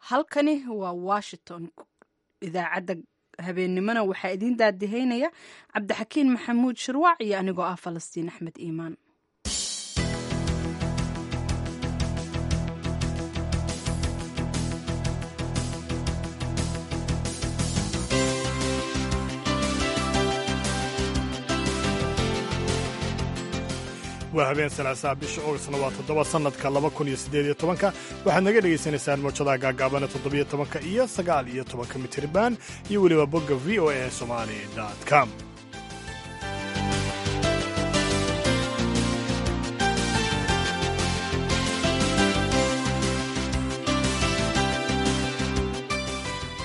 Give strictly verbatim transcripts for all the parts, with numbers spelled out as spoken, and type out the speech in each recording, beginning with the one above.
Halkani waa Washington. Idaacadda habeennimona waxaa idiin daadihaynaya Cabdixakiin Maxamuud Shirwaac iyo anigoo ah Falastiin Axmed Iimaan. Waa habeen Salaasaa, bisha Oogastna waa toddoba, sannadka laba kun iyo siddeed iyo tobanka. Waxaad naga dhegaysanaysaan mawjadaha gaagaabana toddobiyo tobanka iyo sagaal iyo tobanka mitirban iyo weliba bogga V O A Somali com.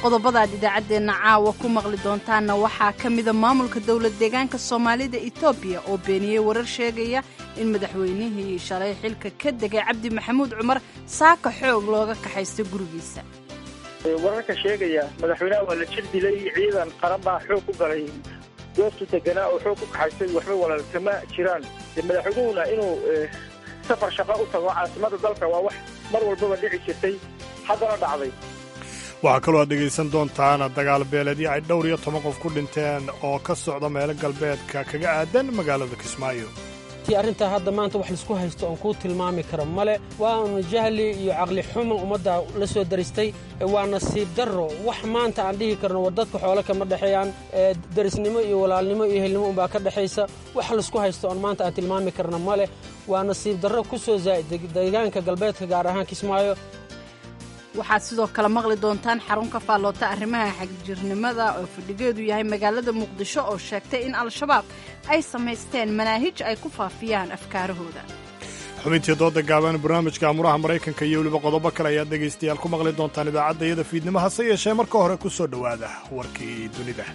Qodobadaad idaacaddeenna caawa ku maqli doontaanna waxaa ka mida maamulka dowlad deegaanka Soomaalida Etoobiya oo beeniyey warar sheegaya in madaxweynihii shalay xilka ka degay, Cabdi Maxamuud Cumar, saaka xoog looga kaxaystay gurigiisa. Wararka sheegaya madaxweynaha waa la jir dilay, ciidan qaran baa xoog ku galay goobtu deganaa oo xoog ku kaxaystay, waxba walaal kama jiraan. Madaxweynuhuna inuu safar shaqo u tago caasimada dalka waa wax mar walbaba dhici jirtay, haddana dhacday. Waxaa kaloo aad dhegaysan doontaan dagaal beeleedyo ay dhowr iyo toban qof ku dhinteen oo ka socda meelo galbeedka kaga aadan magaalada Kismaayo. Tii arrintaa hadda maanta wax laisku haysto oon kuu tilmaami karo male. Waanu jahli iyo caqli xumo ummadda la soo daristay. Waa nasiib darro. Wax maanta aan dhihi karno war dadka xoolo kama dhexeeyaan, derisnimo iyo walaalnimo iyo ehelnimo unbaa ka dhexaysa. Wax laisku haysto oon maanta aan tilmaami karno male. Waa nasiib darro ku soo zaa'id deegaanka galbeedka, gaar ahaan Kismaayo. Waxaad sidoo kale maqli doontaan xarun ka faalloota arrimaha xagjirnimada oo fadhigeedu yahay magaalada Muqdisho oo sheegtay in Al-Shabaab ay samaysteen manaahij ay ku faafiyaan afkaarahooda. Xubintii dooda gaaban, barnaamijka amuraha Maraykanka iyo weliba qodobo kale ayaad dhegaystayaal ku maqli doontaan idaacadda iyada fiidnimo. Hase yeeshee marka hore ku soo dhowaada warkii dunida.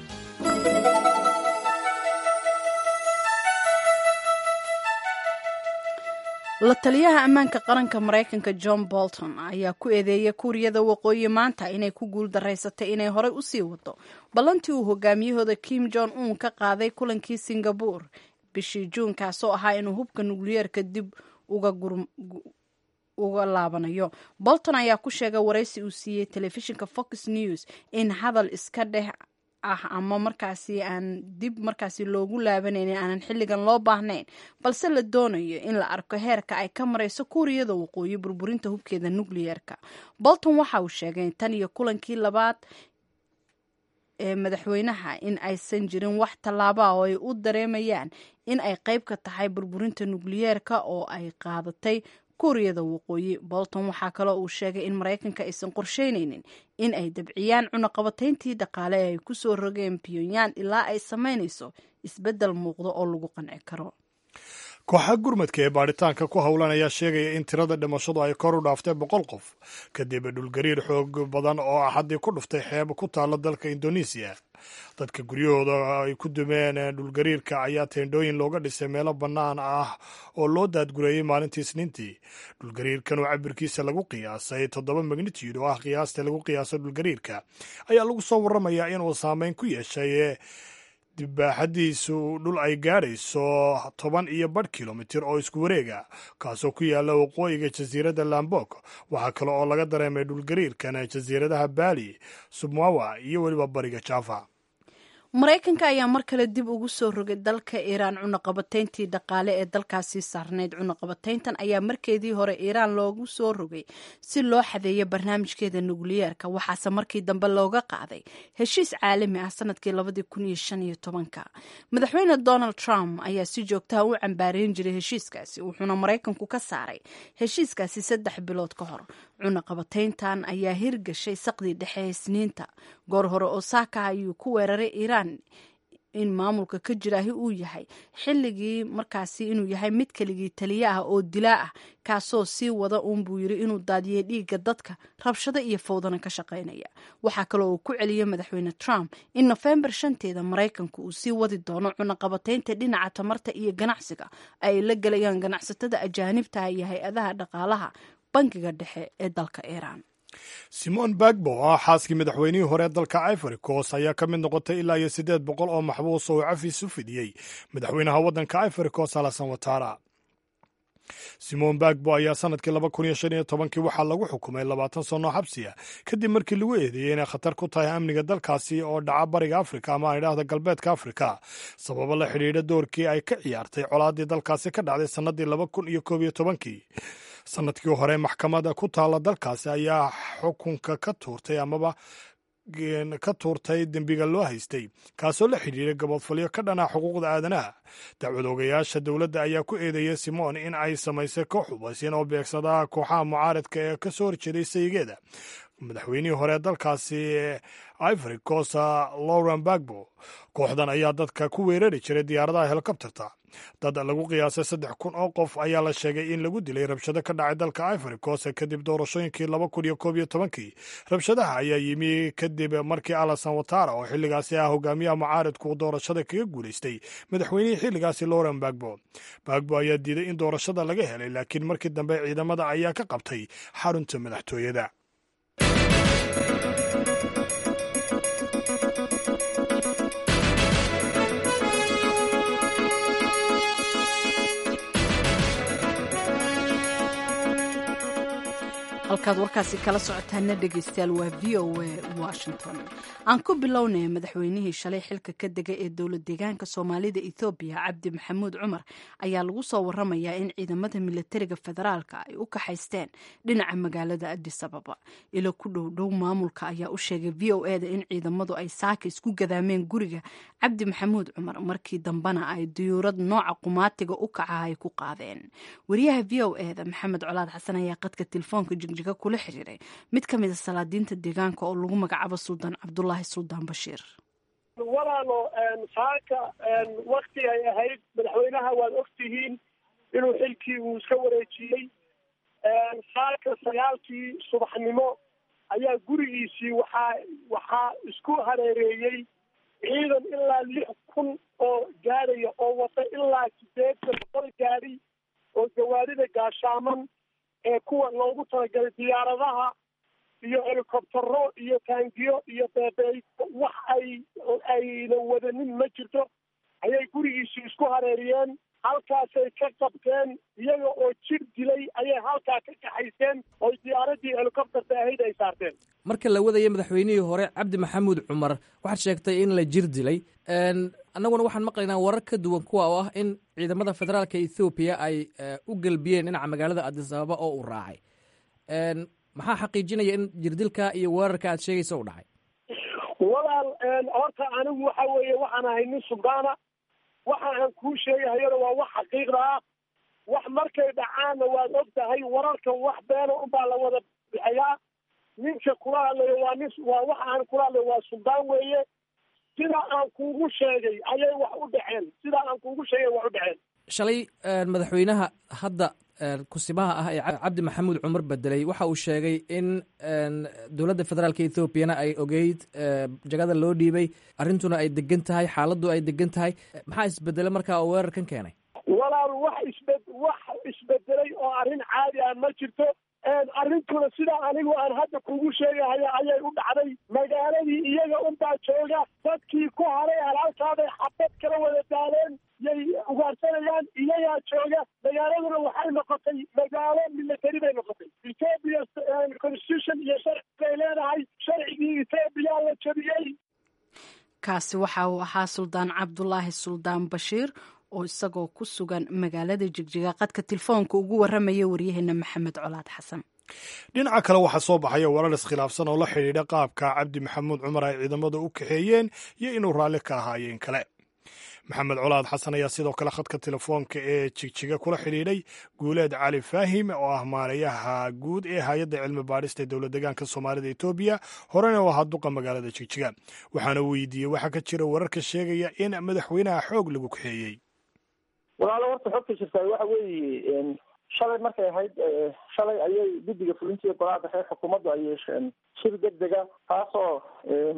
La taliyaha ammaanka qaranka Maraykanka John Bolton ayaa ku eedeeyay Kuuriyada Waqooyi maanta inay ku guul daraysatay inay horey usii wado ballantii uu hogaamiyahooda Kim Jong Un ka qaaday kulankii Singabore bishii Juun, kaasoo ahaa inuu hubka nukliyeerka dib uga uga laabanayo. Bolton ayaa ku sheegay waraysi uu siiyey telefishinka Fox News in hadal iska dheh ah ama markaasi aan dib markaasi loogu laabanaynin aanan xilligan loo baahnayn, balse la doonayo in la arko heerka ay ka marayso Kuuriyada Waqooyi burburinta hubkeeda nukliyeerka. Bolton waxa uu sheegay tan iyo kulankii labaad ee madaxweynaha in aysan jirin wax tallaaba oo ay u dareemayaan in ay qayb ka tahay burburinta nukliyeerka oo ay qaadatay Kuuriyada Waqooyi. Bolton waxaa kaloo uu sheegay in Maraykanka aysan qorsheyneynin in ay dabciyaan cunaqabatayntii dhaqaale ee ay ku soo rogeen Pyongyang ilaa ay samaynayso isbeddel muuqdo oo lagu qanci karo. Kooxa gurmadka ee baadhitaanka ku howlan ayaa sheegaya in tirada dhimashadu ay kor u dhaaftay boqol qof kadib dhulgariir xoog badan oo Axaddii ku dhuftay xeeb ku taalla dalka Indonesiya. Dadka guryahooda ay ku dumeen dhulgariirka ayaa teendhooyin looga dhisay meelo bannaan ah oo loo daadgureeyey maalintii Isniintii. Dhulgariirkan oo cabirkiisa lagu qiyaasay toddoba magnitude, oo ah qiyaasta lagu qiyaaso dhulgariirka, ayaa lagu soo warramayaa inuu saameyn ku yeeshay dibaaxadiisu dhul ay gaadhayso toban iyo badh kilomitir oo isku wareega, kaasoo ku yaalla waqooyiga jasiiradda Lambok. Waxaa kale oo laga dareemay dhulgariirkan jasiiradaha Bali, Sumbawa iyo weliba bariga Java. Maraykanka ayaa mar kale dib ugu soo rogay dalka Iiraan cunaqabatayntii dhaqaale ee dalkaasi saarnayd. Cunaqabatayntan ayaa markeedii hore Iiraan loogu soo rogay si loo xadeeyo barnaamijkeeda nukliyeerka, waxaase markii dambe looga qaaday heshiis caalami ah sanadkii labadii kun iyo shan iyo tobanka. Madaxweyne Donald Trump ayaa si joogtaha u cambaareyn jiray heshiiskaasi, wuxuuna Maraykanku ka saaray heshiiskaasi saddex bilood ka hor. Cunaqabatayntan ayaa hirgashay saqdii dhexe Isniinta. Goor hore oo saaka ayuu ku weeraray Iiraan in maamulka ka jiraahi uu yahay xilligii markaasi inuu yahay mid keligii taliye ah oo dilaa ah, kaasoo sii wada uun, buu yiri, inuu daadiyay dhiigga dadka, rabshado iyo fowdana ka shaqaynaya. Waxaa kaloo uu ku celiyey madaxweyne Trump in Nofembar shanteeda Maraykanku uu sii wadi doono cunaqabataynta dhinaca tamarta iyo ganacsiga ay la gelayaan ganacsatada ajaanibtaha iyo hay-adaha dhaqaalaha bangiga dhexe ee dalka Iiraan. Simone Gbagbo oo ah xaaskii madaxweynihii hore dalka Ivory Coast ayaa ka mid noqotay ilaa iyo siddeed boqol oo maxbuus oo cafis u fidiyey madaxweynaha waddanka Ivory Coast, Alassane Ouattara. Simon Bagbo ayaa sanadkii laba kun iyo shan iyo tobankii waxaa lagu xukumay labaatan sano xabsiya kadib markii lagu eedeeyey inay khatar ku tahay amniga dalkaasi oo dhaca bariga Afrika ama aan idhaahda galbeedka Afrika, sababo la xidhiidha doorkii ay ka ciyaartay colaadii dalkaasi ka dhacday sannadii laba kun iyo koob iyo tobankii. Sanadkii hore maxkamadda ku taalla dalkaasi ayaa xukunka ka tuurtay amaba ka tuurtay dembiga loo haystay, kaasoo la xidhiiray gabodfalyo ka dhana xuquuqda aadanaha. Dacwad ogayaasha dowladda ayaa ku eedeeyay Simon in ay samaysay koox hubaysin oo beegsada kooxaha mucaaradka ee ka soo horjeeday sayigeeda, madaxweynihii hore dalkaasi Ivory Coast Lauren Bagbo. Kooxdan ayaa dadka ku weerari jiray diyaaradaha helikobterta. Dad lagu qiyaasay saddex kun oo qof ayaa la sheegay in lagu dilay rabshado ka dhacay dalka Ivory Coast kadib doorashooyinkii laba kun iyo koob iyo tobankii. Rabshadaha ayaa yimi kadib markii Alassane Ouattara oo xilligaasi ah hogaamiyaha mucaaradku doorashada kaga guulaystay madaxweynihii xilligaasi Laurent Gbagbo. Gbagbo ayaa diiday in doorashada laga helay, laakiin markii dambe ciidamada ayaa ka qabtay xarunta madaxtooyada. Halkaad warkaasi kala socotaana dhegeystayaal waa V O A Washington. Aan ku bilownay madaxweynihii shalay xilka ka degay ee dowlad deegaanka Soomaalida Ethiopia, Cabdi Maxamuud Cumar, ayaa lagu soo waramayaa in ciidamada militariga federaalka ay u kaxaysteen dhinaca magaalada Addis Ababa. Ilo ku dhow dhow maamulka ayaa u sheegay V O A da in ciidamadu ay saaka isku gadaameen guriga Cabdi Maxamuud Cumar, markii dambena ay diyuurad nooca qumaatiga u kaca ay ku qaadeen. Wariyaha V O A da Maxamed Colaad Xasan ayaa qadka telefoonka jigjiga kula xiriiray mid ka mid a salaadiinta deegaanka oo lagu magacaabo Suldaan Cabdulaahi Suldaan Bashiir. Walaalo, saaka wakti ay ahayd madaxweynaha waad ogtihiin inuu xilkii uu iska wareejiyey. Saaka sagaalkii subaxnimo ayaa gurigiisii waxaa waxaa isku hareereeyey ciidan ilaa lix kun oo gaadhaya oo wata ilaa sideetan boqol gaadhi oo gawaarida gaashaaman ee kuwa loogu talagalay diyaaradaha iyo helikobtero iyo taangiyo iyo beebeey, wax ay ayna wadanin ma jirto, ayay gurigiisii isku hareeriyeen. Halkaasay ka qabteen iyaga oo jir dilay ayay halkaa ka kaxayseen oo diyaaradii helikobterta ahayd ay saarteen. Marka la wadaya madaxweynihii hore Cabdi Maxamuud Cumar, waxaad sheegtay in la jir dilay. Annaguna waxaan maqlaynaa warar ka duwan kuwa oo ah in ciidamada federaalka Ethoobiya ay u gelbiyeen dhinaca magaalada Addis Ababa oo uu raacay. Maxaa xaqiijinaya in jirdilka iyo weerarka aad sheegaysa u dhacay? Walaal, horta anigu waxa weeye waxaan ahay nin suldaana. Waxa aan kuu sheegahayona waa wax xaqiiqda ah. Wax markay dhacaanna waad og tahay, wararka wax beena unbaa la wada bixiyaa. Ninka kula hadlayo waa nin, waa waxa aan kula hadlayo waa suldaan weeye. Sida aan kuugu sheegay ayay wax u dhaceen, sida aan kuugu sheegay wax u dhaceen. Shalay madaxweynaha hadda kusimaha ah ee Cabdi Maxamuud Cumar bedelay waxa uu sheegay in dowladda federaalka Ethoobiyana ay ogeyd jagada loo dhiibay, arrintuna ay degan tahay, xaaladdu ay degan tahay. Maxaa isbedelay markaa oo weerarkan keenay? Walaal, wax isbe wax isbedelay oo arrin caadi ah ma jirto. Arrintuna sida anigu aan hadda kugu sheegahaya ayay u dhacday. Magaaladii iyaga unbaa jooga, dadkii ku haray halhalkaabay xabad kala wada daaleen, yay ugaarsanayaan, iyagaa jooga. Magaaladuna waxay noqotay magaalo military bay noqotay. Ethiopia constitution iyo sharci bay leedahay, sharcigii Ethiopia la jabiyey. Kaasi waxa uu ahaa Suldaan Cabdulaahi Suldaan Bashiir oo isagoo ku sugan magaalada Jigjiga qadka telefoonka ugu waramaya waryaheena Maxamed Colaad Xasan. Dhinaca kale waxaa soo baxaya warar iskhilaafsan oo la xidhiidha qaabka Cabdi Maxamuud Cumar ay ciidamada u kaxeeyeen iyo inuu raalli ka ahaayeen kale. Maxamed Colaad Xasan ayaa sidoo kale khadka telefoonka ee Jigjiga kula xidhiidhay Guuleed Cali Faahim oo ah maarayaha guud ee hay-adda cilmi baadhista ee dowlad deegaanka Soomaalida Etoobiya, horena oo ahaa duqa magaalada Jigjiga. Waxaana weydiiyey waxaa ka jira wararka sheegaya in madaxweynaha xoog lagu kaxeeyey. Walaalo, horta xogta jirtaa waxa weeye shalay markay ahayd, shalay ayay guddiga fulintiiyo golaha dhexe xukuumaddu ay yeesheen shir degdega, taasoo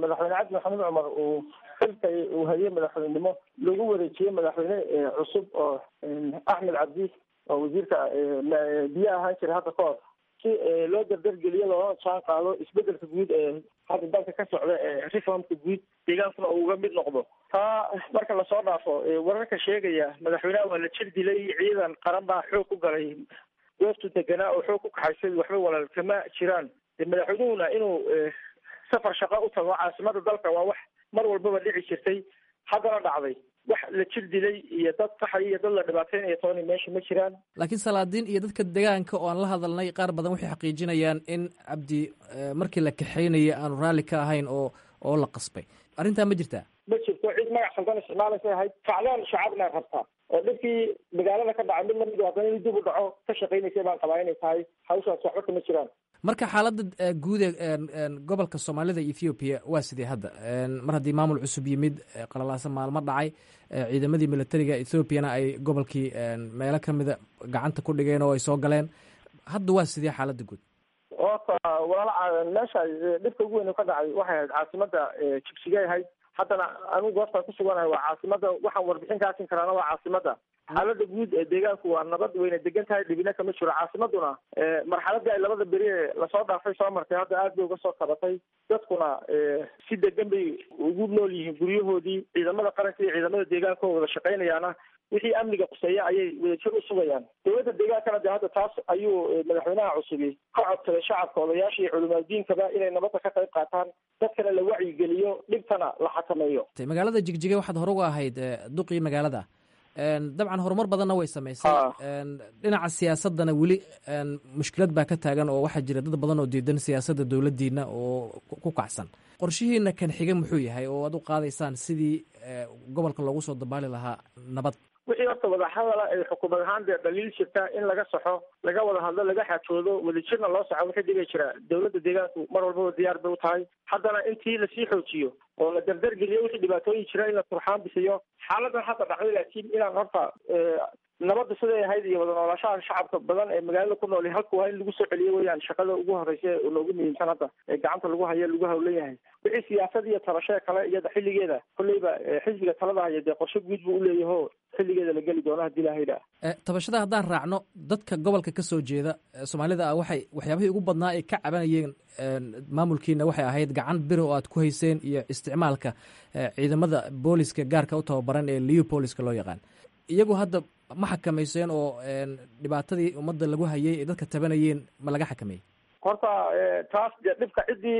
madaxweyne Cabdi Maxamuud Cumar uu xilka uu hayay madaxweynenimo lagu wareejiyey madaxweyne cusub oo Axmed Cabdi oo wasiirka biyaha ahaan jiray hadda ka hor. Si loo dardargeliyo loolana jaan qaado isbedelka guud ee hadda dalka ka socda ee reformka guud, deegaankuna uu uga mid noqdo. Taa marka lasoo dhaafo, wararka sheegaya madaxweynaha waa la jir dilay, ciidan qaran baa xoog ku galay goobtu deganaa oo xoog ku kaxaysay, waxba walaal kama jiraan. Madaxweynuhuna inuu safar shaqo u tago caasimada dalka waa wax mar walbaba dhici jirtay, haddana dhacday. Wax la jir dilay iyo dad qaxay iyo dad la dhibaateynayo tooni meesha ma jiraan. Laakiin salaadiin iyo dadka deegaanka oo aan la hadalnay qaar badan waxay xaqiijinayaan in Cabdi markii la kaxeynaya aanu raalli ka ahayn oo oo la qasbay. Arrintaa ma jirtaa? Ma jirto. Cid magac khaldan isticmaalaysay ahayd, kacdoon shacabna rabta oo dhibkii magaalada ka dhacay mid lamid haddana in dib u dhaco ka shaqaynaysay baan qabaa inay tahay hawshaas. Waxba kama jiraan. Marka xaaladda guud ee gobolka Soomaalida Ethoobiya waa sidee hadda, mar haddii maamul cusub yimid, qalalaasan maalmo dhacay, ciidamadii militariga Ethoobiyana ay gobolkii meelo kamida gacanta ku dhigeen oo ay soo galeen? Hadda waa sidee xaaladda guud? Horta walaal, meesha dhibka ugu weyn ka dhacay waxay ahayd caasimada Jigsigay ahayd. Haddana anigu goobtaan ku suganahay waa caasimada, waxaan warbixin kaasin karaana waa caasimada. Xaalada guud ee deegaanku waa nabad, wayna degan tahay, dhibina kama jiro. Caasimaduna marxaladii ay labada beri ee lasoo dhaafay soo martay hadda aad bay uga soo kabatay, dadkuna si degan bay ugu nool yihiin guryahoodii. Ciidamada qaranka iyo ciidamada deegaanka oo wada shaqaynayaana wixii amniga quseeya ayay wadajir u sugayaan. Dowladda deegaankana de hadda taas ayuu madaxweynaha cusubi ka codsaday shacabka, odayaasha iyo culimaadiinkaba inay nabadda ka qayb qaataan, dadkana la wacyigeliyo, dhibtana la xakameeyo. Magaalada Jigjiga waxaad hore uga ahayd duqii magaalada. Dabcan horumar badanna way samaysay. Dhinaca siyaasaddana weli mushkilad baa ka taagan oo waxaa jira dad badan oo diidan siyaasadda dowladdiina oo ku kacsan. Qorshihiina kan xiga muxuu yahay oo aad u qaadaysaan sidii gobolka loogu soo dabaali lahaa nabad? Wixii horta wadahadala ay xukuumad ahaan dee dhaliil jirta in laga saxo, laga wada hadlo, laga xaajoodo, wadajirna loo saxo wixii dhibay jira, dowladda deegaanku mar walbaba diyaar bay u tahay. Haddana intii lasii xoojiyo oo la dardargeliyo wixii dhibaatooyin jira in la turxaan bixiyo xaaladan hadda dhacday. Laakiin inaan horta nabadda siday ahayd iyo wada noolaashaha shacabka badan ee magaalada ku nool halku waa in lagu soo celiyo weyaan shaqada ugu horeysa ee noogu muhiimsan hadda ee gacanta lagu hayo, lagu hawlan yahay. Wixii siyaasad iyo tabashee kale iyada xilligeeda kolleyba xisbiga talada haya dee qorshe guud buu uleeyaho, xilligeeda la geli doono hadii ilaha yidhaah. Tabashada haddaan raacno, dadka gobolka ka soo jeeda Soomaalida ah waxay waxyaabihii ugu badnaa ay ka cabanayeen maamulkiina waxay ahayd gacan biro oo aad ku hayseen iyo isticmaalka ciidamada booliska gaarka u tababaran ee Leopoliska loo yaqaan. Iyagu hadda ma xakamayseen oo dhibaatadii ummadda lagu hayay ee dadka tabanayeen ma laga xakameeyey? Horta taas dee dhibka ciddii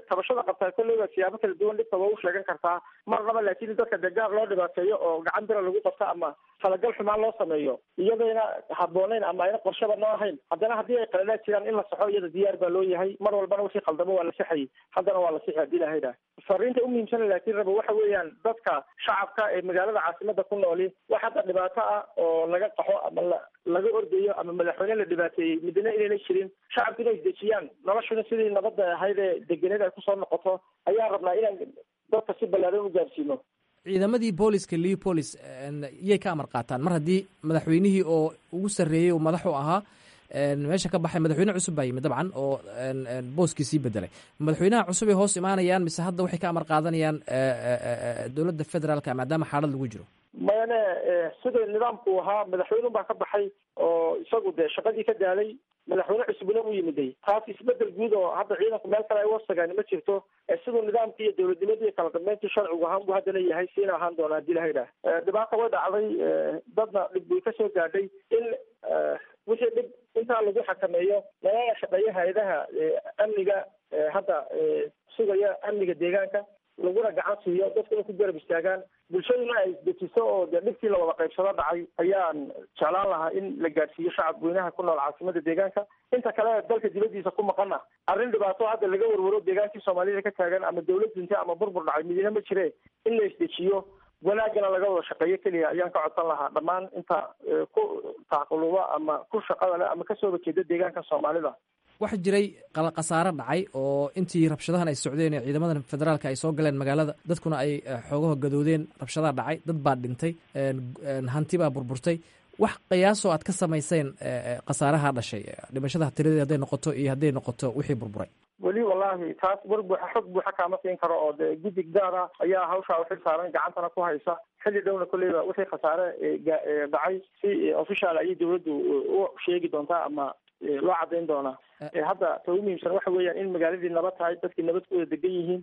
tabashada qabtaa kolleyba siyaabo kala duwan dhibka waa u sheegan kartaa marnaba, laakiin dadka dee gaar loo dhibaateeyo oo gacan bira lagu qabto ama talagal xumaan loo sameeyo iyadayna habboonayn ama ayna qorshaba noo ahayn. Haddana haddii ay qaladaad jiraan in la saxo iyada diyaar baa loo yahay. Mar walbana wixii khaldamo waa la sixayay, haddana waa la sixi hadii ilaha yidhaah. Fariinta umuhiimsana laakiin raba waxa weeyaan dadka shacabka ee magaalada caasimada ku nooli wax hadda dhibaato ah oo laga qaxo ama laga ordayo ama madaxweyne la dhibaateeyey midna inayna jirin. Shacabka inay isdejiyaan, noloshuna sidii nabadda ahayd ee degeneed ay kusoo noqoto ayaan rabnaa inaan dadka si ballaaran u gaarsiino. Ciidamadii booliska Leopolis yay ka amar qaataan mar haddii madaxweynihii oo ugu sarreeyey oo madaxu ahaa meesha ka baxay, madaxweyne cusub baa yimid dabcan oo booskii sii bedelay? Madaxweynaha cusub ay hoos imaanayaan mise hadda waxay ka amar qaadanayaan dowladda federaalka maadaama xaalad lagu jiro? Mayane, sida nidaamku ahaa madaxweynun baa ka baxay oo isagu dee shaqadii ka daalay, madaxweyne cusubna u yimiday. Taas isbedel guud oo hadda ciidanku meel kale ay uwasagaan ma jirto. Siduu nidaamkii iyo dowladnimadii kala dambeyntii sharcigu ahaan buu haddana yahay, siina ahaan doona hadii laha yidhaah. Dhibaata way dhacday, dadna dhib way kasoo gaadhay. In wixii dhib intaa lagu xakameeyo lalana shaqeeyo hay-adaha amniga hadda sugaya amniga deegaanka, laguna gacan siiyo, dadkuna ku garab istaagaan, bulshaduna ay isdejiso oo dee dhibkii la wada qaybsado dhacay ayaan jeclaan lahaa in la gaadhsiiyo shacab weynaha ku nool caasimada deegaanka. Inta kale dalka dibadiisa ku maqana, arrin dhibaato hadda laga warwaro deegaankii Soomaalida ka taagan ama dowlad dintay ama burbur dhacay midina ma jire. In la isdejiyo, wanaagana laga wada shaqeeyo keliya ayaan ka codsan lahaa dhammaan inta ku tacquluba ama ku shaqada leh ama kasoo horjeeda deegaanka Soomaalida. Waxaa jiray khasaare dhacay oo intii rabshadahan ay socdeen ee ciidamadan federaalka ay soo galeen magaalada, dadkuna ay xoogaho gadoodeen, rabshadaha dhacay, dad baa dhintay, hanti baa burburtay. Wax qiyaasoo aad ka samayseen khasaaraha dhashay, dhimashada tiradeed hadday noqoto iyo hadday noqoto wixii burburay? Weli wallahi taas war buuxa, xog buuxa kaama siin karo oo dee guddi gaar ah ayaa hawshaa uxil saaran, gacantana ku haysa. Xilli dhowna kolleyba wixii khasaare dhacay si official ayay dowladdu u sheegi doontaa ama loo caddayn doonaa. Hadda ta ugu muhiimsan waxa weeyaan in magaaladii nabad tahay, dadkii nabad ku wada degan yihiin,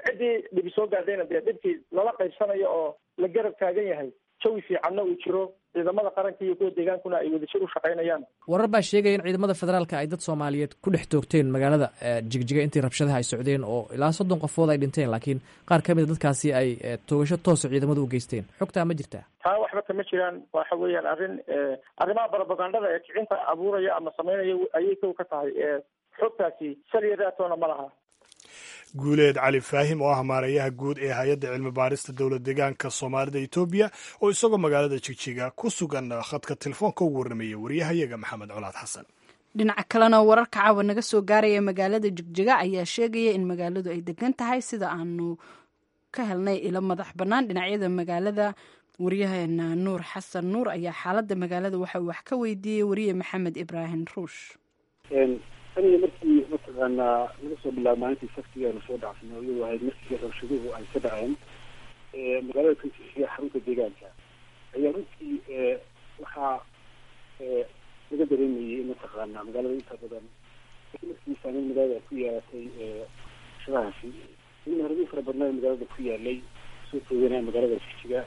ciddii dhibi soo gaadhayna dee dhibkii lala qaybsanayo oo la garab taagan yahay, jawi fiicanna uu jiro, ciidamada qaranka iyo kuwa deegaankuna ay wadajir u shaqaynayaan. Warar baa sheegaya in ciidamada federaalka ay dad Soomaaliyeed ku dhex toogteen magaalada Jigjiga intii rabshadaha ay socdeen, oo ilaa soddon qofood ay dhinteen, laakiin qaar ka mid a dadkaasi ay toogasho toosa ciidamadu u geysteen. Xogtaa ma jirtaa? Taa waxba kama jiraan. Waxa weeyaan arrin arrimaha barobagandada ee kicinta abuuraya ama sameynaya ayay kow ka tahay. Xogtaasi saliya raatoona ma laha. Guuleed Cali Faahim oo ah maareeyaha guud ee hay-adda cilmi baarista dowlad deegaanka Soomaalida Etoobiya, oo isagoo magaalada Jigjiga ku sugan khadka telefoonka ugu warrameeyey wariyahayaga Maxamed Colaad Xasan. Dhinaca kalena, wararka caawa naga soo gaaraya magaalada Jigjiga ayaa sheegaya in magaaladu ay degan tahay, sida aanu ka helnay ilo madax bannaan dhinacyada magaalada. Wariyaheena Nuur Xasan Nuur ayaa xaaladda magaalada waxa uu wax ka weydiiyey wariye Maxamed Ibraahim Ruush. Tan iyo markii mataqaanaa laga soo bilaabo maalintii Sabtiga aanu soo dhacsanay, iyadoo ahayd markii rabshaduhu ay ka dhaceen magaalada Jigjiga, xarunta deegaanka, ayaa runtii waxaa laga dareemayay in mataqaanaa magaalada inta badan markii saameyn magaalada ku yeelatay rabshadahaasi, in meheradii fara badnaa magaalada ku yaalay soo tooganaa magaalada Jigjiga,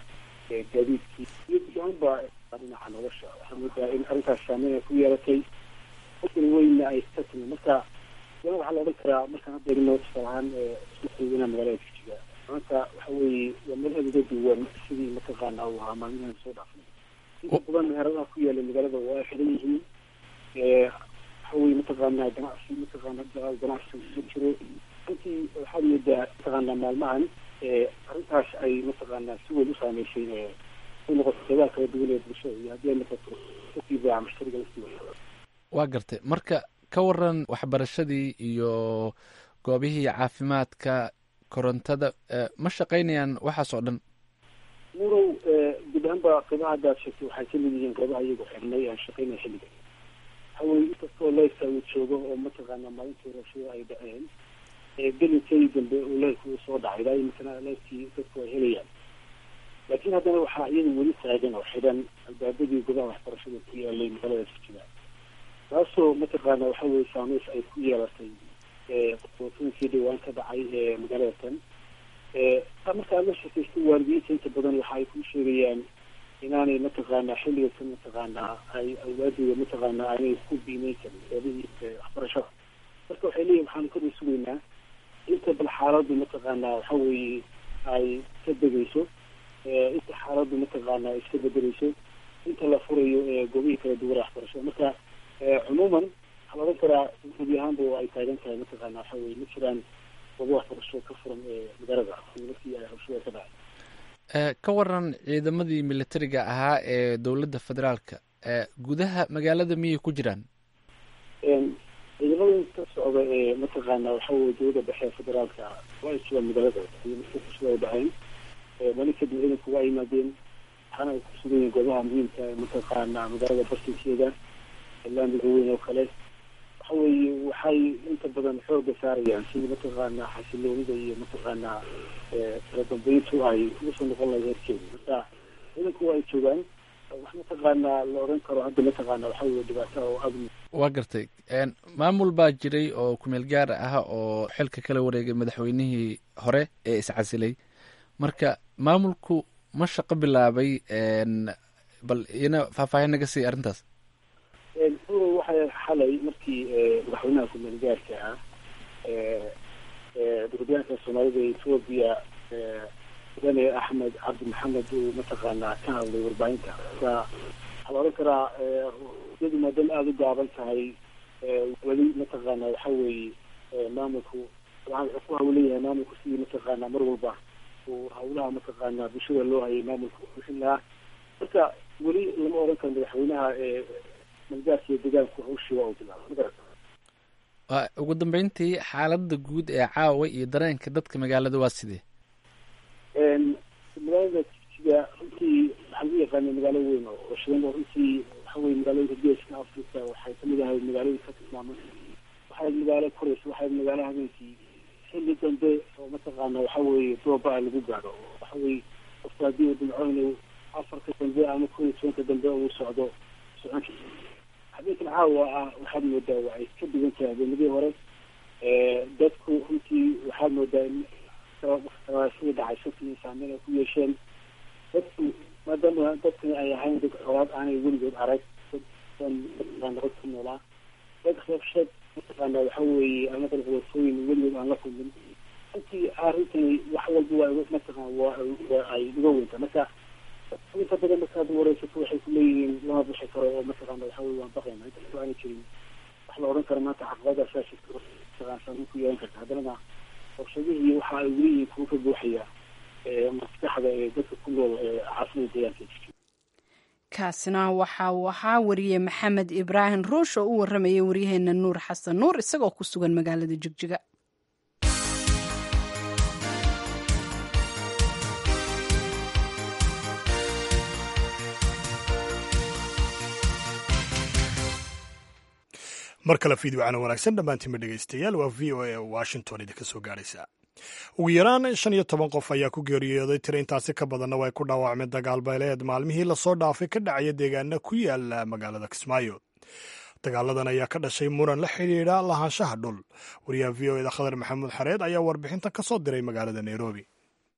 gaadiidkii iyo guud ahaanba dhinaca nolosha. Waxaa moodaa in arrintaas saameyn ay ku yeelatay, qofkan weynna ay ka timi. Marka waxaa la odhan karaa, markaan hadda eegno tusaale ahaan suuqweynaa magaalada Jigjiga maanta, waxa weeye waa meel aada uga duwan sidii mataqaana uu ahaa maalmihan soo dhaafnay. Inta badan meheradaha ku yaala magaalada waa ay xiran yihiin. Waxa weye mataqaanaa ganacsi mataqaana ganacsi ma jiro. Runtii waxaad moodaa mataqaanaa maalmahan arrintaas ay mataqaanaa si weyn u saameysay, ay noqoto qeybaha kala duwan ee bulshada iyo haddii ay noqoto dadkii baaca mushtariga laftiisa. Waa gartay. Marka ka waran waxbarashadii iyo goobihii caafimaadka, korontada ma shaqaynayaan, waxaas oo dhan? Murow, guud ahaanba qeybaha hadda aad sheegtay waxay kamid yihiin qeybaha iyagu xirnay aan shaqaynaya xilligan. Waxa weye inkastoo leyrka uu joogo oo mataqaanaa maalintii rabshada ay dhaceen gelinkii dambe uu leyrka uu soo dhacay, ilaa iminkana leyrkii dadku ay helayaan, laakiin haddana waxaa iyadu weli taagan oo xidhan albaabadii goobaha waxbarashada ku yaalay magaalada Jigjiga, taasoo mataqaana waxa weye saameys ay ku yeelatay qootooyinkii dhawaan ka dhacay ee magaalada tan. Marka aad la sheekaysto waalidiinta, inta badan waxa ay ku sheegayaan inaanay mataqaanaa xilliga kan mataqaanaa ay awlaadooda mataqaanaa aanay ku biimeyn karin goobihii waxbarashada. Marka waxay leeyihin waxaanu kada sugaynaa inta bal xaaladdu mataqaanaa waxa weeye ay ka degayso, inta xaaladdu mataqaanaa iska bedeleyso, inta la furayo goobihii kala duwan waxbarashada. Marka cumuuman waxaa la odhan karaa gebi ahaanba oo ay taagan tahay mataqaana waxa weye ma jiraan goobo waxbarasho ka furan ee magaalada markii ay rabshada ka dhacay. Ka waran ciidamadii militariga ahaa ee dowladda federaalka, gudaha magaalada miyay ku jiraan? Ciidamada ka socda ee mataqaana waxa weye dowladda dhexe ee federaalka waa ay joogaan magaalada. Markii rabshada ay dhaceen maalin kadib, ciidanku waa yimaadeen, waxaana ay ku sugan yihiin goobaha muhiimka ee mataqaana magaalada bartinkeeda, laamiga weyn oo kale. Waxa weeye waxay inta badan xooga saarayaan sidii mataqaanaa xasiloonida iyo mataqaanaa kala dambeyntu ay ugu soo noqon lahayd heerkeeda. Marka ciidanku waa ay joogaan, wax mataqaanaa la odhan karo hadda mataqaana waxa weye dhibaato oo aada. Waa gartay. Maamul baa jiray oo kumeel gaar ah oo xilka kala wareegay madaxweynihii hore ee iscasilay. Marka maamulku ma shaqo bilaabay? Bal iyana faahfaahin naga siiy arrintaas. Waxay xalay markii madaxweynaha kumeel gaarka ah dowladyahanka Soomaalida ee Etoobiya, mudane Axmed Cabdi Maxamed, uu mataqaanaa ka hadlay warbaahinta. Marka waxaa la odhan karaa iyadu maadaama aada u gaaban tahay weli mataqaana waxa weeye maamulku dabcan wuxuu ku hawleyahay maamulku sidii mataqaanaa mar walba uu hawlaha mataqaanaa bulshada loo hayay maamulka bixin lahaa. Marka weli lama odhan karo madaxweynaha malgaarka iyo deegaanku hawshii waa uu bilaabay, magarata. Ugu dambeyntii, xaaladda guud ee caawa iyo dareenka dadka magaalada waa sidee? Magaalada Jigjiga runtii waxaa lagu yaqaana magaalo weyn oo shidan, oo runtii waxa weye magaalooyinka Geeska Africa waxay kamid ahay magaalooyinka ka tilmaaman. Waxay magaalo koraysa, waxay magaalo habeenkii xilli dambe oo mataqaana waxa weeye dooba lagu gaadho. Waxa weye qofka haddii uu damco inuu afarka dambe ama kow iyo tobanka dambe uu socdo socon. Habeenkan caawa ah waxaad moodaa waa ay ka duwan tahay habeenadii hore. Dadku runtii waxaad moodaa in sida dhacay sabtii saameyn ay ku yeesheen dadku, maadaama dadkani ay ahayn dad colaad aanay weligood arag, dad nabad ku noolaa, dad rabshad mataqaana waxa weeye ama qalqalsooyin weligood aan la kulmin. Runtii arrintani wax walba waa mataqaan waa waa ay uga weyntaa. Marka inta badan markaad wareysato waxay kuleeyihiin lama bixi karo oo mataqaana waxa weye waan baqayna. Inkastoo aanay jirin wax la odhan karo maanta caqabadaasaa jirta mataqaan saameyn ku yeelan karta, haddanana rabshadihii waxa ay weli yihiin kuwa ka buuxaya maskaxda ee dadka ku nool caasimada deegaanka. Kaasina waxa uu ahaa wariye Maxamed Ibraahim Ruush oo u waramayay waryaheena Nuur Xasan Nuur isagoo ku sugan magaalada Jigjiga. Mar kale fiidwacana wanaagsan dhammaantiinba dhegaystayaal, waa V O A Washington idinka soo gaaraysa. Ugu yaraan shan iyo toban qof ayaa ku geeriyooday, tiro intaasi ka badanna way ku dhaawacmeen dagaal beeleed maalmihii lasoo dhaafay ka dhacaya deegaana ku yaala magaalada Kismaayo. Dagaaladan ayaa ka dhashay muran la xidhiidha lahaanshaha dhul. Wariyaha V O eda Khadar Maxamuud Xareed ayaa warbixintan ka soo diray magaalada Nairobi.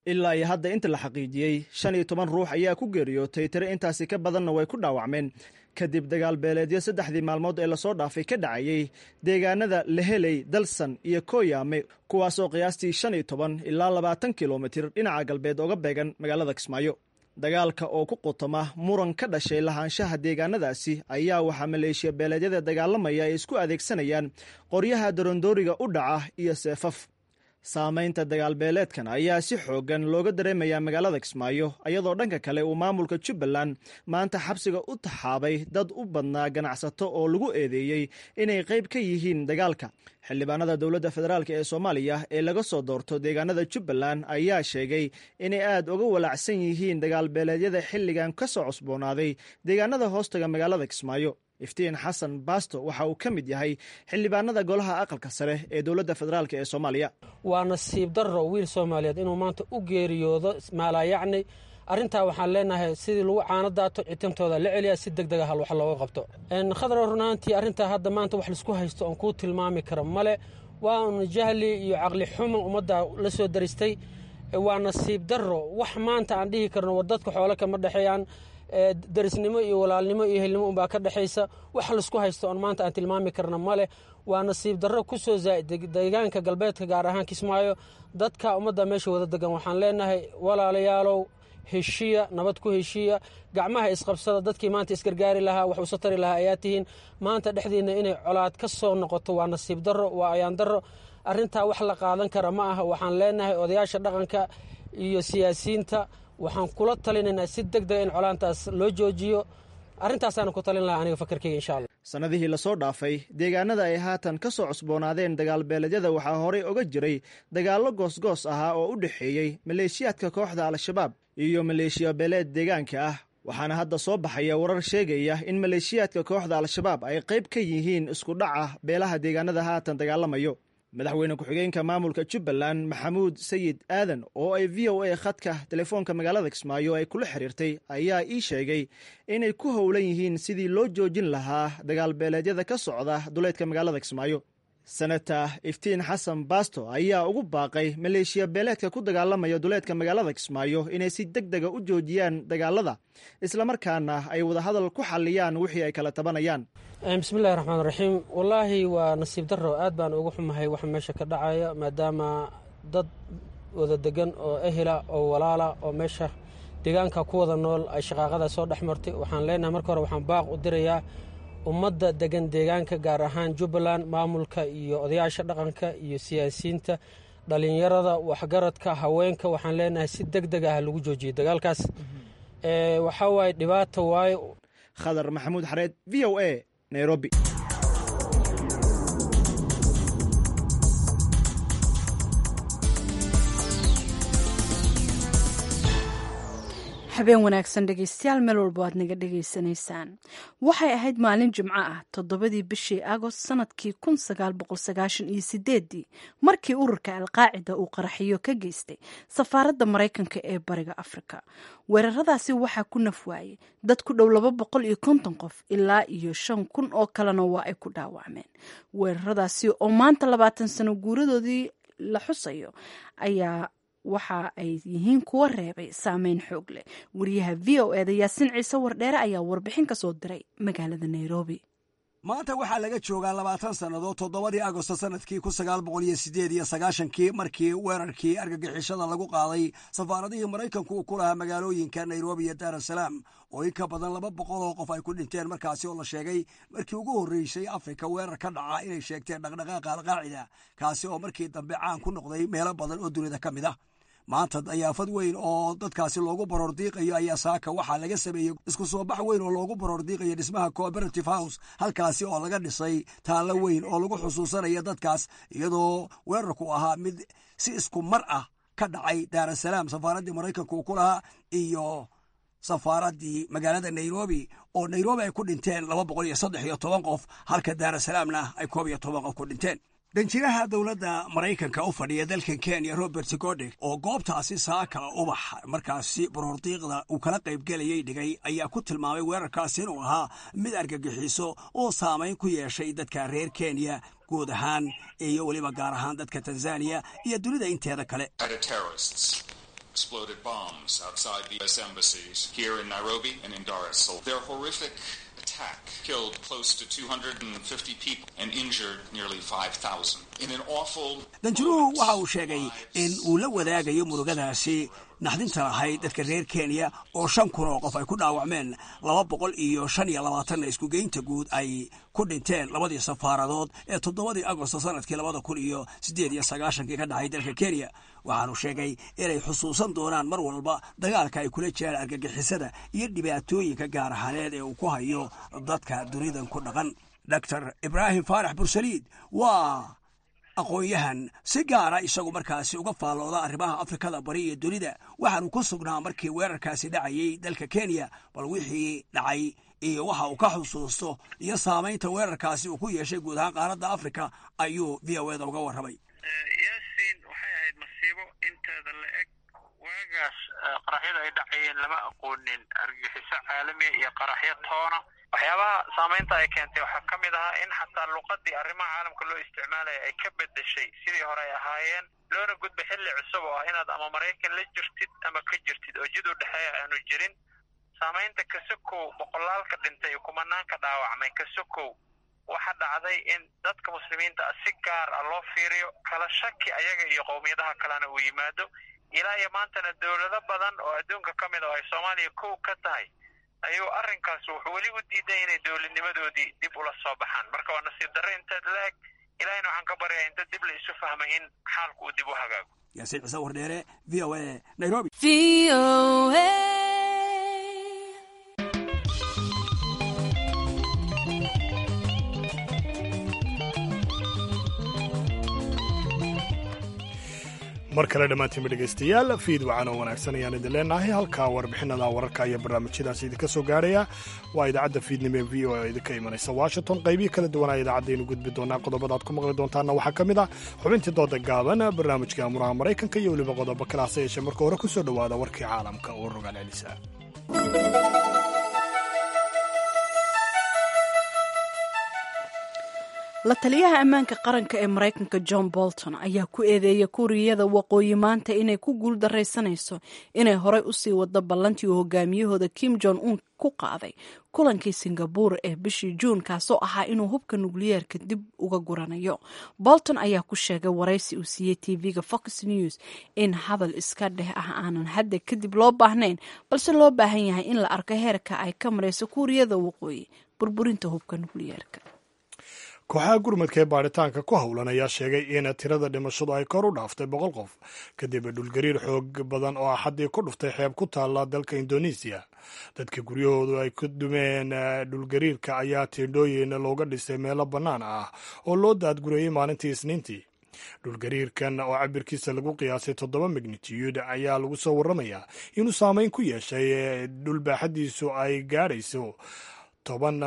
Ilaa iyo hadda inta la xaqiijiyey shan iyo toban ruux ayaa ku geeriyootay, tiro intaasi ka badanna way ku dhaawacmeen kadib dagaal beeleedyo saddexdii maalmood ee lasoo dhaafay ka dhacayey deegaanada Leheley, Dalsan iyo Kooyaame, kuwaasoo qiyaastii shan iyo toban ilaa labaatan kilomitir dhinaca galbeed oga beegan magaalada Kismaayo. Dagaalka oo ku qutama muran ka dhashay lahaanshaha deegaanadaasi ayaa waxaa maleeshiya beeleedyada dagaalamaya ay isku adeegsanayaan qoryaha darondooriga u dhaca iyo seefaf. Saamaynta dagaalbeeleedkan ayaa si xooggan looga dareemayaa magaalada Kismaayo, iyadoo dhanka kale uu maamulka Jubbaland maanta xabsiga u taxaabay dad u badnaa ganacsato oo lagu eedeeyey inay qayb ka yihiin dagaalka. Xildhibaanada dowladda federaalk ee Soomaaliya ee laga soo doorto deegaanada Jubbaland ayaa sheegay inay aad uga walaacsan yihiin dagaalbeeleedyada xilligan ka soo cusboonaaday deegaanada hoostaga magaalada Kismaayo. Iftiin Xasan Baasto waxa uu ka mid yahay xildhibaanada golaha aqalka sare ee dowladda federaalk ee Soomaaliya. Waa nasiib darro wiil Soomaaliyeed inuu maanta u geeriyoodo maalaayacni. Arrintaa waxaan leenahay sidii lagu caano daato citintooda la celiya, si deg deg ah wax looga qabto. Khadra, runaantii arrintaa hadda maanta wax laisku haysto oon kuu tilmaami karo male. Waa un jahli iyo caqli xumo ummadda la soo daristay. Waa nasiib darro wax maanta aan dhihi karno war dadka xoolo kama dhexeeyaan, darisnimo iyo walaalnimo iyo helnimo unbaa ka dhexaysa. Wax laisku haysto oon maanta aan tilmaami karna male. Waa nasiib darro ku soo zaa'id deegaanka galbeedka, gaar ahaan Kismaayo. Dadka ummadda meesha wada degan waxaan leenahay walaalayaalow, heshiya, nabad ku heshiiya, gacmaha isqabsada. Dadkii maanta isgargaari lahaa, wax usa tari lahaa ayaa tihiin. Maanta dhexdiinna inay colaad ka soo noqoto waa nasiib darro, waa ayaan darro. Arrintaa wax la qaadan kara ma aha. Waxaan leenahay odayaasha dhaqanka iyo siyaasiyiinta waxaan kula talinaynaa si deg dega in colaantaas loo joojiyo. Arrintaasaan ku talin lahaa aniga fakarkeyga insha Allah. Sannadihii lasoo dhaafay deegaanada ay haatan ka soo cusboonaadeen dagaalbeeleedyada waxaa horey oga jiray dagaallo goosgoos ahaa oo u dhexeeyey maleeshiyaadka kooxda Al-Shabaab iyo maleeshiya beeleed deegaanka ah, waxaana hadda soo baxaya warar sheegaya in maleeshiyaadka kooxda Al-Shabaab ay qayb ka yihiin isku dhaca beelaha deegaanada haatan dagaalamayo. Madaxweyne ku-xigeenka maamulka Jubbaland Maxamuud Sayid Aadan oo ay V O A khadka telefoonka magaalada Kismaayo ay kula xiriirtay ayaa ii sheegay inay ku howlan yihiin sidii loo joojin lahaa dagaalbeeleedyada ka socda duleedka magaalada Kismaayo. Senator Iftiin Xasan Baasto ayaa ugu baaqay maleeshiya beeleedka ku dagaalamaya duleedka magaalada Kismaayo inay si deg dega u joojiyaan dagaalada, islamarkaana ay wadahadal ku xalliyaan wixii ay kala tabanayaan. Bismillahi raxmaan raxiim. Wallaahi waa nasiib darro, aad baan uga xumahay waxa meesha ka dhacaya, maadaama dad wada degan oo ehela oo walaala oo meesha deegaanka ku wada nool ay shaqaaqada soo dhex martay. Waxaan leenahay marka hore waxaan baaq u dirayaa ummadda degan deegaanka, gaar ahaan Jubbaland, maamulka iyo odayaasha dhaqanka iyo siyaasiyiinta, dhalinyarada, waxgaradka, haweenka. Waxaan leenahay si deg deg ah lagu joojiyo dagaalkaas. Waxaa waaye dhibaato waaye. Khadar Maxamuud Xareed, V O A, Nairobi. Habeen wanaagsan dhegeystayaal, meel walba aad naga dhegeysanaysaan. Waxay ahayd maalin Jimco ah, toddobadii bishii Agost sanadkii kun sagaal boqol sagaashan iyo sideedii, markii ururka Alqaacida uu qaraxiyo ka geystay safaaradda Maraykanka ee Bariga Afrika. Weeraradaasi waxaa ku naf waayey dad ku dhow laba boqol iyo konton qof, ilaa iyo shan kun oo kalena waa ay ku dhaawacmeen. Weeraradaasi oo maanta labaatan sano guuradoodii la xusayo ayaa waxa ay yihiin kuwa reebay saameyn xoog leh. Wariyaha V O eda Yaasiin Ciise Wardheere ayaa warbixin ka soo diray magaalada Nairobi. Maanta waxaa laga joogaa labaatan sannadood toddobadii Agosto sanadkii kun sagaal boqol iyo sideed iyo sagaashankii, markii weerarkii argagixishada lagu qaaday safaaradihii Maraykanku uu ku lahaa magaalooyinka Nairobi iyo Daar es Salaam, oo in ka badan laba boqol oo qof ay ku dhinteen, markaasi oo la sheegay markii ugu horreysay Afrika weerar ka dhaca inay sheegteen dhaqdhaqaaqa Alqaacida, kaasi oo markii dambe caan ku noqday meelo badan oo dunida ka mid ah. Maanta dayaafad weyn oo dadkaasi loogu baroor diiqayo ayaa saaka waxaa laga sameeyey isku soo bax weyn oo loogu baroor diiqayo dhismaha Cooperative House, halkaasi oo laga dhisay taallo weyn oo lagu xusuusanaya dadkaas, iyadoo weerarku ahaa mid si isku mar ah ka dhacay Daarasalaam safaaraddii Maraykanka uu ku lahaa iyo safaaraddii magaalada Nairobi, oo Nairobi ay ku dhinteen laba boqol iyo saddex iyo toban qof, halka Daarasalaamna ay koob iyo toban qof ku dhinteen. Danjiraha dowladda Maraykanka u fadhiya dalkan Kenya, Robert Godek, oo goobtaasi saaka ubax markaasi baroordiiqda uu kala qaybgelayay dhigay, ayaa ku tilmaamay weerarkaasi inuu ahaa mid argagixiso oo saamayn ku yeeshay dadka reer Kenya guud ahaan iyo weliba gaar ahaan dadka Tanzaniya iyo dunida inteeda kale. Exploded bombs outside the U S embassies here in Nairobi and in Dar es Salaam. Their horrific attack killed close to two hundred fifty people and injured nearly five thousand. In an awful... Danjiruhu waxa uu sheegay in uu la wadaagayo murugadaasi naxdinta lahayd dadka reer Kenya, oo shan kun oo qof ay ku dhaawacmeen, laba boqol iyo shan iyo labaatanna iskugeynta guud ay ku dhinteen labadii safaaradood ee toddobadii Agosto sanadkii labada kun iyo siddeed iyo sagaashankii ka dhacay dalka Kenya. Waxaanu sheegay inay xusuusan doonaan mar walba dagaalka ay kula jiraan argagixisada iyo dhibaatooyinka gaar ahaaneed ee uu ku hayo dadka dunidan ku dhaqan. Doctor Ibraahim Faarax Bursaliid waa aqoon-yahan si gaara isagu markaasi uga faallooda arrimaha Afrikada Bari iyo dunida. Waxaanu ku sugnaa markii weerarkaasi dhacayey dalka Kenya. Bal wixii dhacay iyo waxa uu ka xusuusto iyo saamaynta weerarkaasi uu ku yeeshay guud ahaan qaaradda Afrika ayuu V O eda uga warramay. Yaasiin, waxay ahayd masiibo inteeda la eg. Waagaas qaraxyada ay dhacayeen lama aqoonin argagixiso caalamiya iyo qaraxyo toona. Waxyaabaha saamaynta ay keentay waxaa ka mid ahaa in xataa luqadii arrimaha caalamka loo isticmaalaya ay ka bedeshay sidii hore ay ahaayeen, loona gudba xilli cusub oo ah inaad ama Maraykan la jirtid ama ka jirtid, oo jid u dhexeeya aanu jirin. Saamaynta kasokow boqolaalka dhintay iyo kumanaanka dhaawacmay kasokow, waxaa dhacday in dadka muslimiinta ah si gaar ah loo fiiriyo, kala shaki ayaga iyo qowmiyadaha kalena uu yimaado. Ilaa iyo maantana dowlado badan oo adduunka ka mid ah oo ay Soomaaliya kow ka tahay ayuu arrinkaas wuxuu weli u diiday inay dowladnimadoodii dib ula soo baxaan. Marka waa nasiib darre inteed la eg. Ilaahayna waxaan ka baryayaa inta dib la isu fahmay in xaalku uu dib u hagaago. Yaasiin Ciise Wardheere, V O A, Nairobi. Mar kale dhammaantiinba dhegaystayaal, fiid wacan oo wanaagsan ayaan idin leenahay. Halkaa warbixinada wararka iyo barnaamijyadaasi idinka soo gaarhaya waa idaacadda fiidnimo ee V O A oo idinka imanaysa Washington. Qaybihii kala duwanaa idaacadaynu gudbi doonaa. Qodobada aad ku maqli doontaanna waxaa ka mid ah xubintii dooda gaaban, barnaamijka amuraha Maraykanka iyo weliba qodobo kale. Hase yeeshee marka hore ku soo dhowaada warkii caalamka oo rogaal celisa. La taliyaha ammaanka qaranka ee Maraykanka John Bolton ayaa ku eedeeyay Kuuriyada Waqooyi maanta inay ku guuldaraysanayso inay horey usii wado ballantii uu hogaamiyahooda Kim Jong Un ku qaaday kulankii Singabuur ee bishii Juun, kaasoo ahaa inuu hubka nukliyeerka dib uga guranayo. Bolton ayaa ku sheegay waraysi uu siiyey T V-ga Fox News in hadal iska dheh ah aanan hadda kadib loo baahnayn, balse loo baahan yahay in la arko heerka ay ka marayso Kuuriyada Waqooyi burburinta hubka nukliyeerka. Kooxaha gurmadka ee baaritaanka ku howlan ayaa sheegay in tirada dhimashadu ay kor u dhaaftay boqol qof kadib dhulgariir xoog badan oo Axaddii ku dhuftay xeeb ku taalla dalka Indonesiya. Dadka guryahoodu ay ku dumeen dhulgariirka ayaa tiindhooyin looga dhisay meelo bannaan ah oo loo daadgurayey maalintii Isniintii. Dhulgariirkan oo cabirkiisa lagu qiyaasay toddoba magnitude ayaa lagu soo warramayaa inuu saameyn ku yeeshay dhulbaaxadiisu ay gaadhayso toban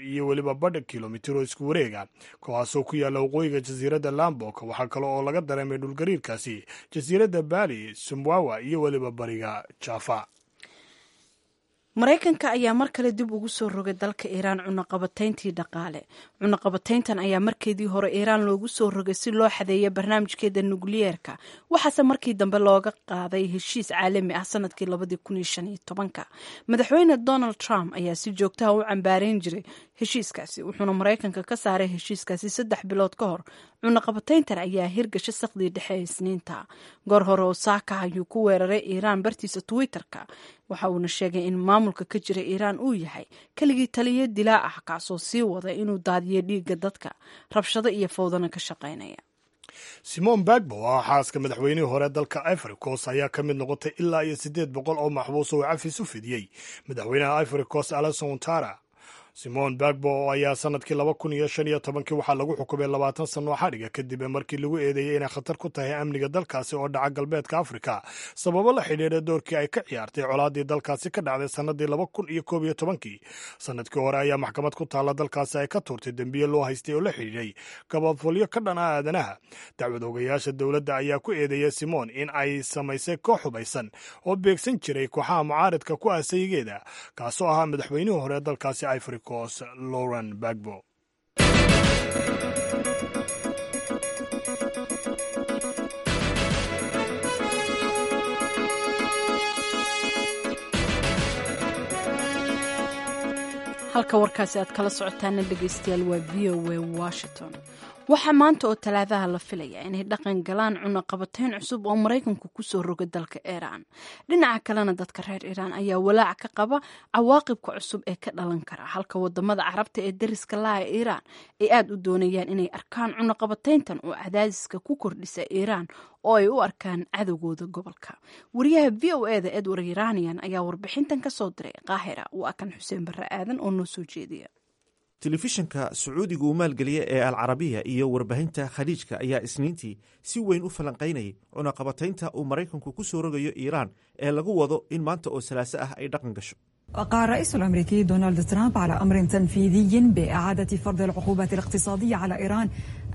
iyo weliba badh kilomitir oo isku wareega, kuwaasoo ku yaalla waqooyiga jasiiradda Lambok. Waxaa kale oo laga dareemay dhulgariirkaasi jasiiradda Bali, Sumbawa iyo weliba bariga Jaafa. Maraykanka ayaa mar kale dib ugu soo rogay dalka Iiraan cunaqabatayntii dhaqaale. Cunaqabatayntan ayaa markeedii hore Iiraan loogu soo rogay si loo xadeeyo barnaamijkeeda nukliyeerka, waxaase markii dambe looga qaaday heshiis caalami ah sanadkii labadii kun iyo shan iyo tobanka. Madaxweyne Donald Trump ayaa si joogtaha u cambaareyn jiray heshiiskaasi, wuxuuna Maraykanka ka saaray heshiiskaasi saddex bilood ka hor. Cunaqabatayntan ayaa hirgasha saqdii dhexe ee Isniinta. Goor hore oo saaka ayuu ku weeraray Iiraan bartiisa Twitter-ka, waxa uuna sheegay in maamulka ka jira Iiraan uu yahay keligii taliyo dilaa ah, kaasoo sii wada inuu daadiyo dhiigga dadka, rabshado iyo fowdana ka shaqaynaya. Simon Bagbo oo ah xaaska madaxweynihii hore dalka Ivory Coast ayaa ka mid noqotay ilaa iyo siddeed boqol oo maxbuus oo cafis u fidiyey madaxweynaha Ivory Coast Alassane Ouattara. Simon Bagbo ayaa sanadkii laba kun iyo shan iyo tobankii waxaa lagu xukumay labaatan sano oo xadhiga, kadib markii lagu eedeeyey inay khatar ku tahay amniga dalkaasi oo dhaca galbeedka Afrika, sababo la xidhiidha doorkii ay ka ciyaartay colaadii dalkaasi ka dhacday sanadii laba kun iyo koob iyo tobankii. Sanadkii hore ayaa maxkamad ku taalla dalkaasi ay ka tuurtay dembiye loo haystay oo la xidhiidhay gabafolyo ka dhan ah aadanaha. Dacwad ogayaasha dowladda ayaa ku eedeeyay Simon in ay samaysay koox hubaysan oo beegsan jiray kooxaha mucaaridka ku ah sayigeeda, kaasoo ahaa madaxweynihii hore dalkaasi Ivory Coast Lauren Bagbo. Halka warkaasi aad kala socotaana, dhegeystayaal, waa V O A Washington. Waxaa maanta oo Talaadaha la filaya inay dhaqan galaan cunaqabatayn cusub oo Maraykanku kusoo roga dalka Iiraan. Dhinaca kalena, dadka reer Iiraan ayaa walaac ka qaba cawaaqibka cusub ee ka dhalan kara, halka wadamada Carabta ee dariska laha Iiraan ay aada u doonayaan inay arkaan cunaqabatayntan oo cadaadiska ku kordhisa Iiraan oo ay u arkaan cadowgooda gobolka. Wariyaha V O E da Edward Iranian ayaa warbixintan kasoo diray Qaahira. Waa kan Xuseen Barre Aadan oo noo soo jeediya. Telefishinka Sacuudiga uu maalgeliya ee Alcarabiya iyo warbaahinta Khaliijka ayaa Isniintii si weyn u falanqaynayay cunaqabataynta uu Maraykanku ku soo rogayo Iiraan ee lagu wado in maanta oo Salaaso ah ay dhaqan gasho. وقع الرئيس الأمريكي دونالد ترامب على أمر تنفيذي بإعادة فرض العقوبات الاقتصادية على إيران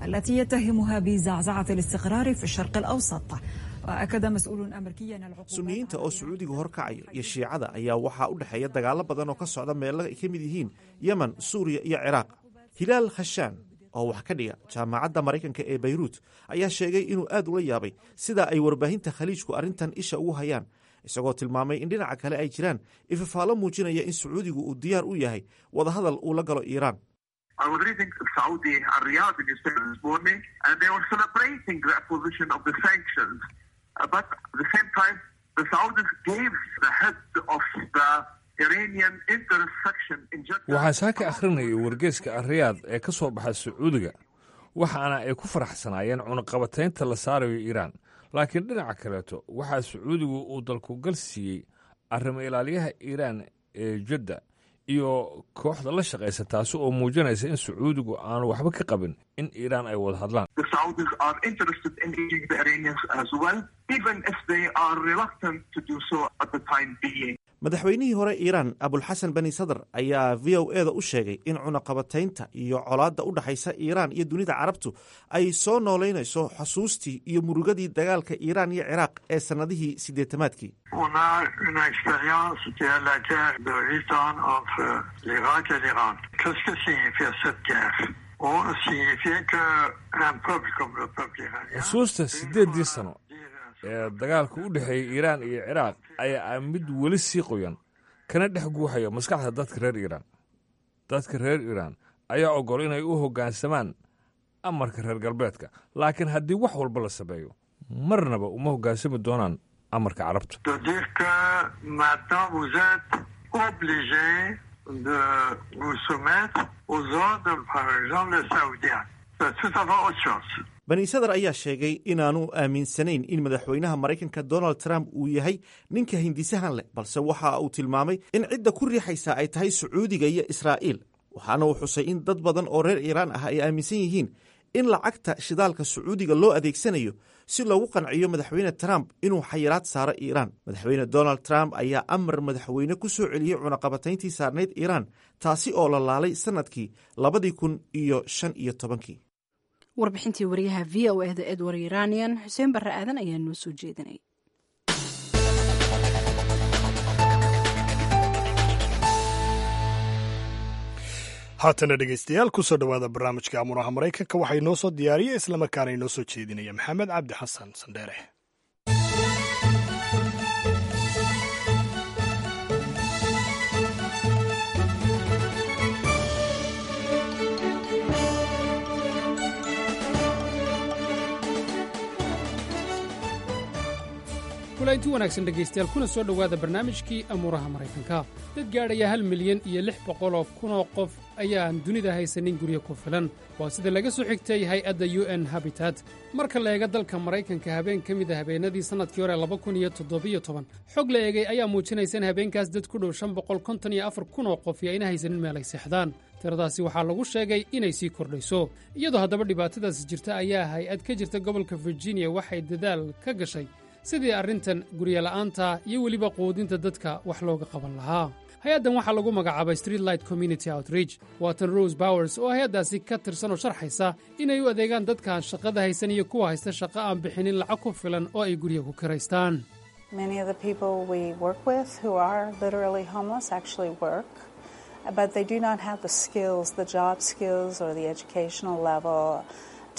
التي يتهمها بزعزعة الاستقرار في الشرق الأوسط. وأكد مسؤول أمريكي أن العقوبات Suniyiinta oo Sacuudiga horkacayo iyo Shiicada ayaa waxaa u dhexeeya dagaallo badan oo ka socda meelo ay ka mid yihiin Yemen, Suuriya iyo Ciraaq. Hilaal Khashaan oo wax ka dhiga Jaamacadda Maraykanka ee Bayruut ayaa sheegay inuu aad ula yaabay sida ay warbaahinta Khaliijku arrintan isha ugu hayaan, isagoo tilmaamay in dhinaca kale ay jiraan ifafaalo muujinaya in Sacuudigu uu diyaar u yahay wadahadal uu la galo Iiraan. I was reading Saudi Riyadh newspaper this morning, and they were celebrating the imposition of the sanctions. Uh, but at the same time, the Saudis gave the head of the Iranian interest section in Jeddah. Waxaan saaka akhrinayay wargeyska Ariyaad ee ka soo baxa Sacuudiga, waxaana ay ku faraxsanaayeen cunaqabataynta la saarayo Iiraan, laakiin dhinaca kaleeto waxaa Sacuudigu uu dalkugal siiyey arrimo ilaaliyaha Iiraan ee Jadda iyo kooxda la shaqaysa, taasi oo muujinaysa in Sacuudigu aanu waxba ka qabin in Iiraan ay wada hadlaan. The Saudis are interested in engaging the Iranians as well, even if they are reluctant to do so at the time being. Madaxweynihii hore Iiraan Abulxasan Bani Sadr ayaa V O E da u sheegay in cunaqabataynta iyo colaadda u dhexaysa Iiraan iyo dunida Carabtu ay soo noolaynayso xusuustii iyo murugadii dagaalka Iiraan iyo Ciraaq ee sannadihii siddeetamaadkii. On a une expérience qui est la guerre de huit ans entre l'Irak et l'Iran. Qu'est-ce que signifie cette guerre? On signifie que un peuple comme le peuple iranien. Xusuusta siddeeddii sano ee dagaalka u dhexeeyey Iiraan iyo Ciraaq ayaa ah mid weli sii qoyan kana dhex guuxaya maskaxda dadka reer Iiraan. Dadka reer Iiraan ayaa oggol inay u hoggaansamaan amarka reer galbeedka, laakiin haddii wax walba la sameeyo, marnaba uma hoggaansami doonaan amarka Carabta. De dire que maintenant vous êtes obligé de vous soumettre aux ordres, par exemple, les Saoudiens. C'est tout à fait autre chose. Bani Sadar ayaa sheegay inaanu aaminsanayn in madaxweynaha Maraykanka Donald Trump uu yahay ninka hindisahan leh, balse waxa uu tilmaamay in cidda ku riixaysa ay tahay Sacuudiga iyo Israa'iil, waxaana uu xusay in dad badan oo reer Iiraan ah ay aaminsan yihiin in lacagta shidaalka Sacuudiga loo adeegsanayo si loogu qanciyo Madaxweyne Trump inuu xayiraad saaro Iiraan. Madaxweyne Donald Trump ayaa amar madaxweyne ku soo celiyey cunaqabatayntii saarnayd Iiraan, taasi oo la laalay sannadkii labadii kun iyo shan iyo tobankii. Warbixintii wariyaha V O E da Edward Iranian, Xuseen Barre Aadan ayaa noo soo jeedinay. Haatana dhegeystayaal, kusoo dhowaada barnaamijka Amuuraha Maraykanka. Waxaa inoo soo diyaariyey islamarkaana inoo soo jeedinaya Maxamed Cabdi Xasan Sandheere. Kulanti wanaagsan dhegaystayaal, kuna soo dhowaada barnaamijkii Amuuraha Maraykanka. Dad gaadhaya hal milyan iyo lix boqoloo kunoo qof ayaan dunida haysanin guryo ku filan, waa sida laga soo xigtay hay-adda U N Habitat. Marka la eega dalka Maraykanka, habeen ka mid a habeenadii sannadkii hore laba kun iyo toddobiyo toban, xog la eegay ayaa muujinaysa in habeenkaas dad ku dhow shan boqol konton iyo afar kun oo qof iyo ayna haysanin meel ay seexdaan. Tiradaasi waxaa lagu sheegay inay sii kordhayso. Iyadoo haddaba dhibaatadaasi jirta ayaa hay-ad ka jirta gobolka Virginia waxay dadaal ka gashay sidii arrintan guryola'aanta iyo weliba quudinta dadka wax looga qaban lahaa. Hay-addan waxaa lagu magacaabay Streetlight Community Outreach. Waatan Rose Bowers oo hay-addaasi ka tirsan oo sharxaysa inay u adeegaan dadkaan shaqada haysan iyo kuwa haysta shaqo aan bixinin lacag ku filan oo ay gurya ku kiraystaan. Many of the people we work with who are literally homeless actually work, but they do not have the skills, the job skills or the educational level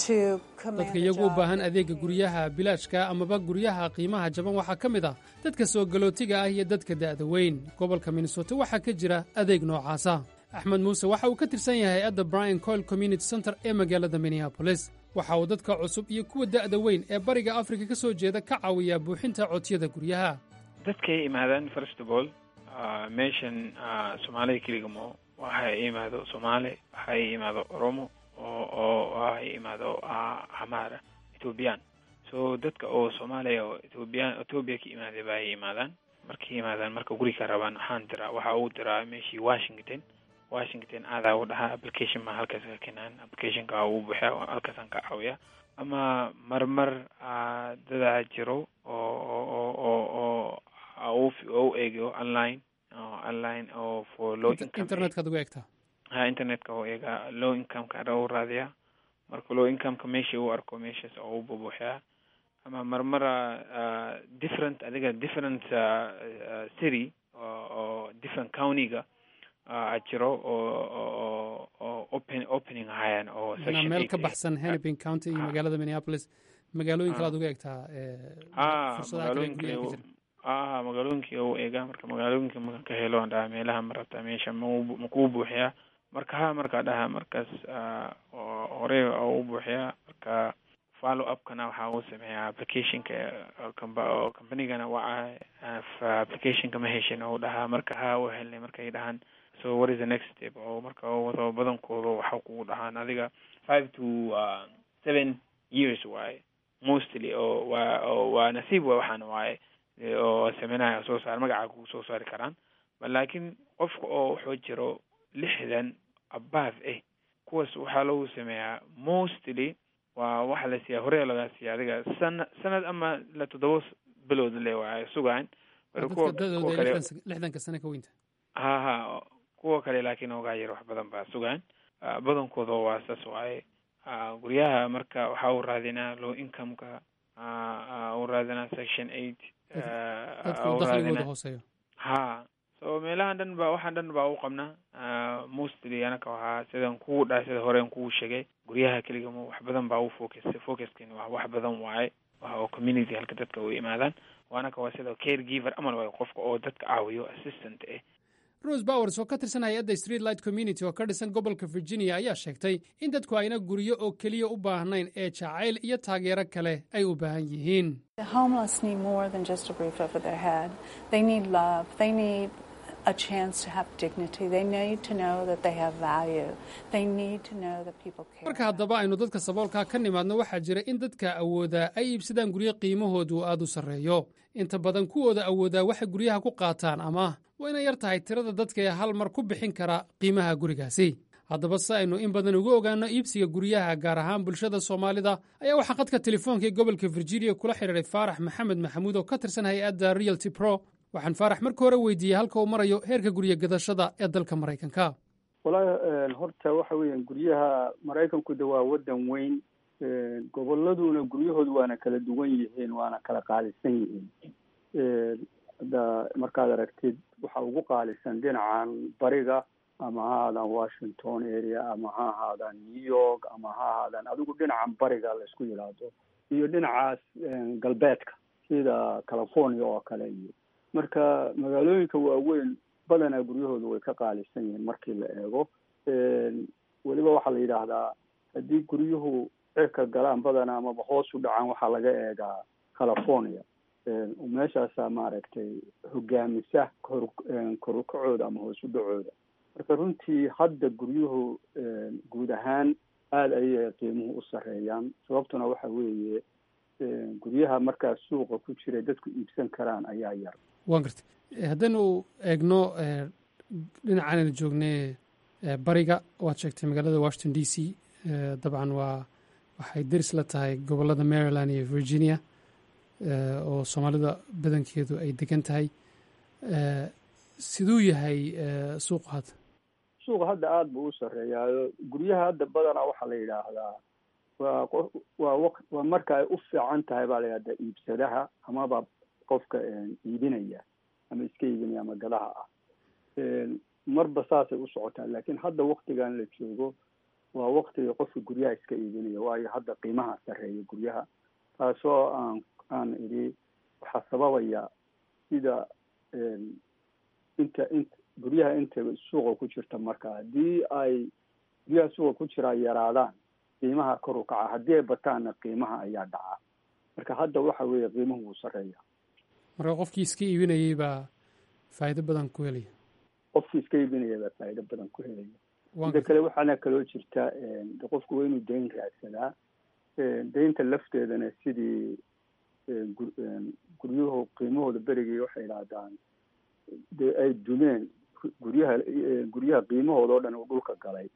to command Dadka a iyagu u job. baahan adeega guryaha bilaashka amaba guryaha qiimaha jaban waxaa ka mid ah dadka soo galootiga ah iyo dadka da'da weyn. Gobolka Minnesota waxaa ka jira adeeg noocaasa. Axmed Muuse waxa uu ka tirsan yahay hay-adda Brian Coyle Community Center ee magaalada Minneapolis. Waxa uu dadka cusub iyo kuwa da'da weyn ee Bariga Afrika ka soo jeeda ka caawiyaa buuxinta codsiyada guryaha. Dadkay imaadaan, first of all, uh, meeshan uh, Soomaalida keliga mo waxay imaado Soomaali, waxay imaado Oromo oo oo waxay imaado uh, Amara, Ethiopian. So dadka oo Soomaaliya oo Ethiopian, Ethiopia ka imaaday baa ay imaadaan. Markay imaadaan, marka guri ka rabaan, waxaan diraa, waxa uu diraa meeshii Washington. Washington aadaa u dhahaa, application ma halkaas ka keenaan, applicationka uu buuxiyaa, halkaasaan ka caawiyaa. Ama marmar uh, dadaa jiro oo oo oo oo oo u u eego online oo online oo for low income. Internetkaad uga eegtaa? Ha, internetka oo eega, low income-ka u raadiyaa. Marka low income-ka meesha uu arko, meeshaas oo u bubuuxiyaa. Ama marmara uh, different, adiga different uh, uh, city oo oo different county-ga uh, jiro oo oo oo open opening ahayaan oo Macnaa section meel ka eight. Baxsan Hennepin County iyo magaalada Minneapolis, magaalooyin kale aad uga eegtaa ee, ah fursadaha kale ee magaalooyinka guryaha ka jira? Ah, magaalooyinka u eega. Marka magaalooyinka marka ka helo, aan dhaha, meelaha ma rabtaa, meesha ma ma kuu buuxiyaa? Marka ha, markaa dhaha, markaas ah, oo hore oo u buuxiyaa. Marka follow up-kana waxaa uu sameeyaa applicationka oo compa- oo companygana waca, applicationka ma heshin oo dhahaa. Marka ha, u helnay markay dhahaan, so what is the next step? Oo marka oo wado badankooda waxa kugu dhahaan adiga five to uh, seven years waaye mostly, oo waa oo waa nasiib waay, waxaan waaye oo sameynaya soo saar magaca kugu soo saari karaan. Laakiin qofka oo wuxuu jiro lixdan above eh, kuwaas waxaa lagu sameeyaa mostly waa waxa la siiyaa, hore lagaa siiya adiga sana sanad ama la toddoba bilood le waaye sugaan. Dadka kuwa dadooda kuwa ay kale lixdan lixdanka sano ka weynta. Ha ha, kuwa kale laakiin ogaa yar wax badan baa sugaan. Ah, badankooda waa saas waaye. Ah, guryaha marka waxaa u raadinaa low income-ka, ah, ah, u raadinaa section eight. ah, Dadka u uu dakhligooda raadinaa. hooseeyo. Ha, so meelahan dhan ba, waxaan dhan baa u qabnaa. Ah, mostly anaka waxaa sidan kugu dhahay, sida horeen kugu sheegay, guryaha keliga ma, wax badan baa u focus focuskin waa wax badan waaye, waxa oo community halka dadka u imaadaan. Waanaka waa sida caregiver amal waaye, qofka oo dadka caawiyo, assistant eh. Rose Bowers oo ka tirsan hay-adda Streetlight Community oo ka dhisan gobolka Virginia ayaa sheegtay in dadku ayna guryo oo keliya u baahnayn ee jacayl iyo taageero kale ay u baahan yihiin. The homeless need more than just a roof over their head. They need love. They need a chance to have dignity. They need to know that they have value. They need to know that people care. Marka haddaba aynu dadka saboolkaa ka nimaadno, waxaa jira in dadka awoodaa ay iibsadaan guryo qiimahoodu aad u sarreeyo. Inta badan kuwooda awoodaa waxay guryaha ku qaataan ama waa inay yar tahay tirada dadka ee hal mar ku bixin kara qiimaha gurigaasi. Haddaba si aynu in badan uga ogaanno iibsiga guryaha, gaar ahaan bulshada Soomaalida, ayaa waxaa khadka telefoonka ee gobolka Virginia kula xidhiiray Faarax Maxamed Maxamuud oo ka tirsan hay-adda Realty Pro. Waxaan Faarax marka hore weydiiyey halka uu marayo heerka gurya gadashada ee dalka Maraykanka. Wallaahi horta waxa weeyaan, guryaha Maraykanku de waa waddan weyn, gobolladuna guryahoodu waana kala duwan yihiin, waana kala qaalisan yihiin. Hadda markaad aragtid, waxa ugu qaalisan dhinacan bariga, ama ha ahaadaan Washington area, ama ha ahaadaan New York, ama ha ahaadaan adigu dhinacan bariga la isku yidhaahdo, iyo dhinacaas galbeedka sida California oo kale. Iyo marka magaalooyinka waaweyn badanaa guryahoodu way ka qaalisan yihiin markii la eego. Weliba waxaa la yidhaahdaa haddii guryuhu cirka galaan badanaa amaba hoos u dhacaan, waxaa laga eegaa California. Meeshaasaa maaragtay hogaamisa kor korukacooda ama hoos u dhacooda. Marka runtii hadda guryuhu guud ahaan aada ayay qiimuhu u sarreeyaan, sababtuna waxa weeye guryaha markaa suuqa ku jira dadku iibsan karaan ayaa yar. Waan gartay. Haddaynu eegno dhinacan aynu joognay bariga, waad sheegtay magaalada Washington D C, dabcan waa waxay deris la tahay gobollada Maryland iyo Virginia oo Soomaalida badankeedu ay degan tahay. Siduu yahay suuqu hadda? Suuqa hadda aada buu u sarreeyaayo. Guryaha hadda badanaa waxaa la yidhaahdaa waa waa waq waa marka ay u fiican tahay baa la yidhahdaa iibsadaha amaba qofka iibinaya ama iska iibinaya ama gadaha ah, marba saasay u socotaa. Laakiin hadda waktigan la joogo waa waktiga qofka guryaha iska iibinaya, waayo hadda qiimaha sarreeya guryaha, taasoo aan aan idhi waxaa sababaya sida inta int guryaha inta suuqa ku jirta. Marka haddii ay guryaha suuqa ku jiraa yaraadaan, qiimaha kor u kaca, haddii ay bataanna qiimaha ayaa dhaca. Marka hadda waxa weeye qiimuhu wuu sarreeya. Marka qofkii iska iibinayay baa faa'iido badan ku helaya. Qofkii iska iibinaya baa faa'iido badan ku helaya. Mida kale, waxaana kaloo jirta de qofku waa inuu dayn raadsadaa. Daynta lafteedana sidii guryuhu qiimahooda berigii waxay idhaahdaan dee ay dumeen guryaha, guryaha qiimahooda oo dhan uu dhulka galay,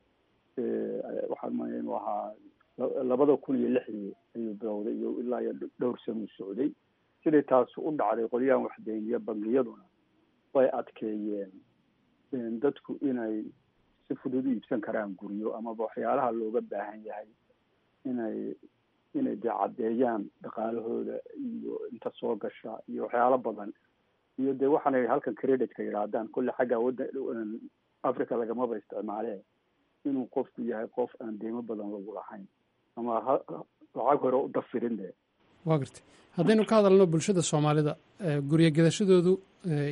waxaan maya inuu ahaa labada kun iyo lixdii ayuu bilowday iyo ilaa iyo dhowr sanuu socday. Siday taas u dhacday, qolyahan waxdeyniya bangiyaduna way adkeeyeen dadku inay si fudud u iibsan karaan guryo, amaba waxyaalaha looga baahan yahay inay inay dee caddeeyaan dhaqaalahooda iyo inta soo gasha iyo waxyaalo badan, iyo dee waxaanay halkan creditka yidhaahdaan, kolle xagga wadda Africa lagamaba isticmaalee, inuu qofku yahay qof aan deymo badan lagu lahayn ama ha lacag hore u dafirin de. Waa gartay. Haddaynu ka hadalno bulshada Soomaalida, guryo gadashadoodu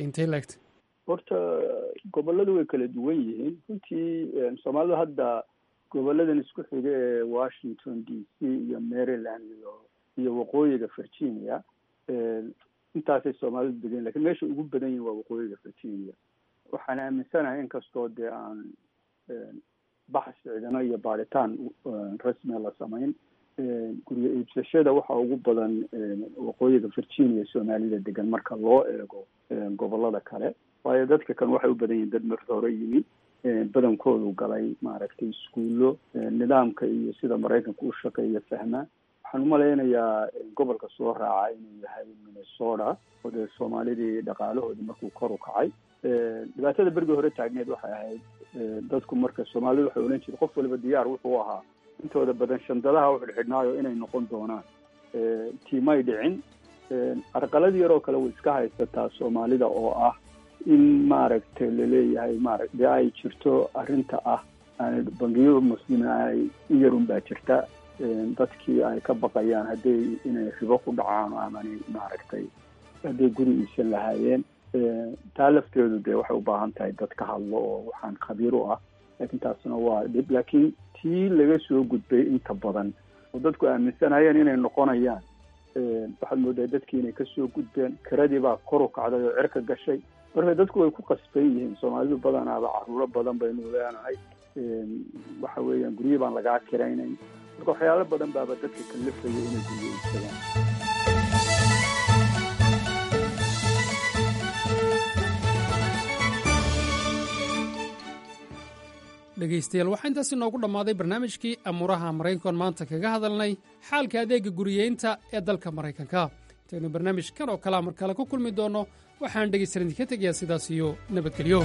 intay laegtay? Horta gobolladu way kala duwan yihiin runtii. Soomaalidu hadda goboladan isku xiga ee Washington D C iyo Maryland iyo iyo waqooyiga Virginia, intaasay Soomaalidu degan, lakin meesha ugu badan yihin waa waqooyiga Virginia. Waxaan aaminsanahay, inkastoo dee aan baxs ciidano iyo baaritaan rasmiya la samayn, guryo iibsashada waxa ugu badan waqooyiga Virginia Soomaalida degan marka loo eego gobolada kale, waayo dadka kan waxay u badan yihin dad marka hore yimi, badankoodu galay maaragtay iskuullo, nidaamka iyo sida Maraykanka u shaqeeya fahma. Waxaan umalaynayaa gobolka soo raaca inuu yahay Minnesota, oo dee Soomaalidii dhaqaalahoodii markuu kor u kacay. Dhibaatada berigii hore taagneed waxay ahayd dadku marka Soomaalidu waxay odhan jireen qof waliba diyaar wuxuu ahaa intooda badan shandadaha u xidhxidhnaayo inay noqon doonaan. Tiimay dhicin. Carqalad yaroo kale way iska haysataa Soomaalida, oo ah in maaragtay laleeyahay maara dee ay jirto arrinta ah aan bangiyada muslimiin ay in yarun baa jirta, dadkii ay ka baqayaan hadday inay ribo ku dhacaan amani maaragtay hadday guri iibsan lahaayeen. Taa lafteedu dee waxay u baahan tahay dad ka hadlo oo waxaan khabiir u ah, laakiin taasna waa dhib. Laakiin tii laga soo gudbay inta badan oo dadku aaminsanayeen inay noqonayaan, waxaad moodaa dadkii inay kasoo gudbeen. Kiradii baa kor u kacday oo cirka gashay, marka dadku way ku qasban yihiin. Soomaalidu badanaaba caruuro badan baynu leenahay, waxa weeyaan guryo baan lagaa kiraynayn, marka waxyaalo badan baaba dadka kalifaya inay guryo iibsadaan. Dhegaystayaal, waxaa intaasi noogu dhammaaday barnaamijkii amuuraha Maraykankoon maanta kaga hadalnay xaalka adeegga guriyeynta ee dalka Maraykanka. Intaynu barnaamijkan oo kalea mar kale ku kulmi doonno, waxaan dhegaystayaal idinka tegayaa sidaas iyo nabadgelyo.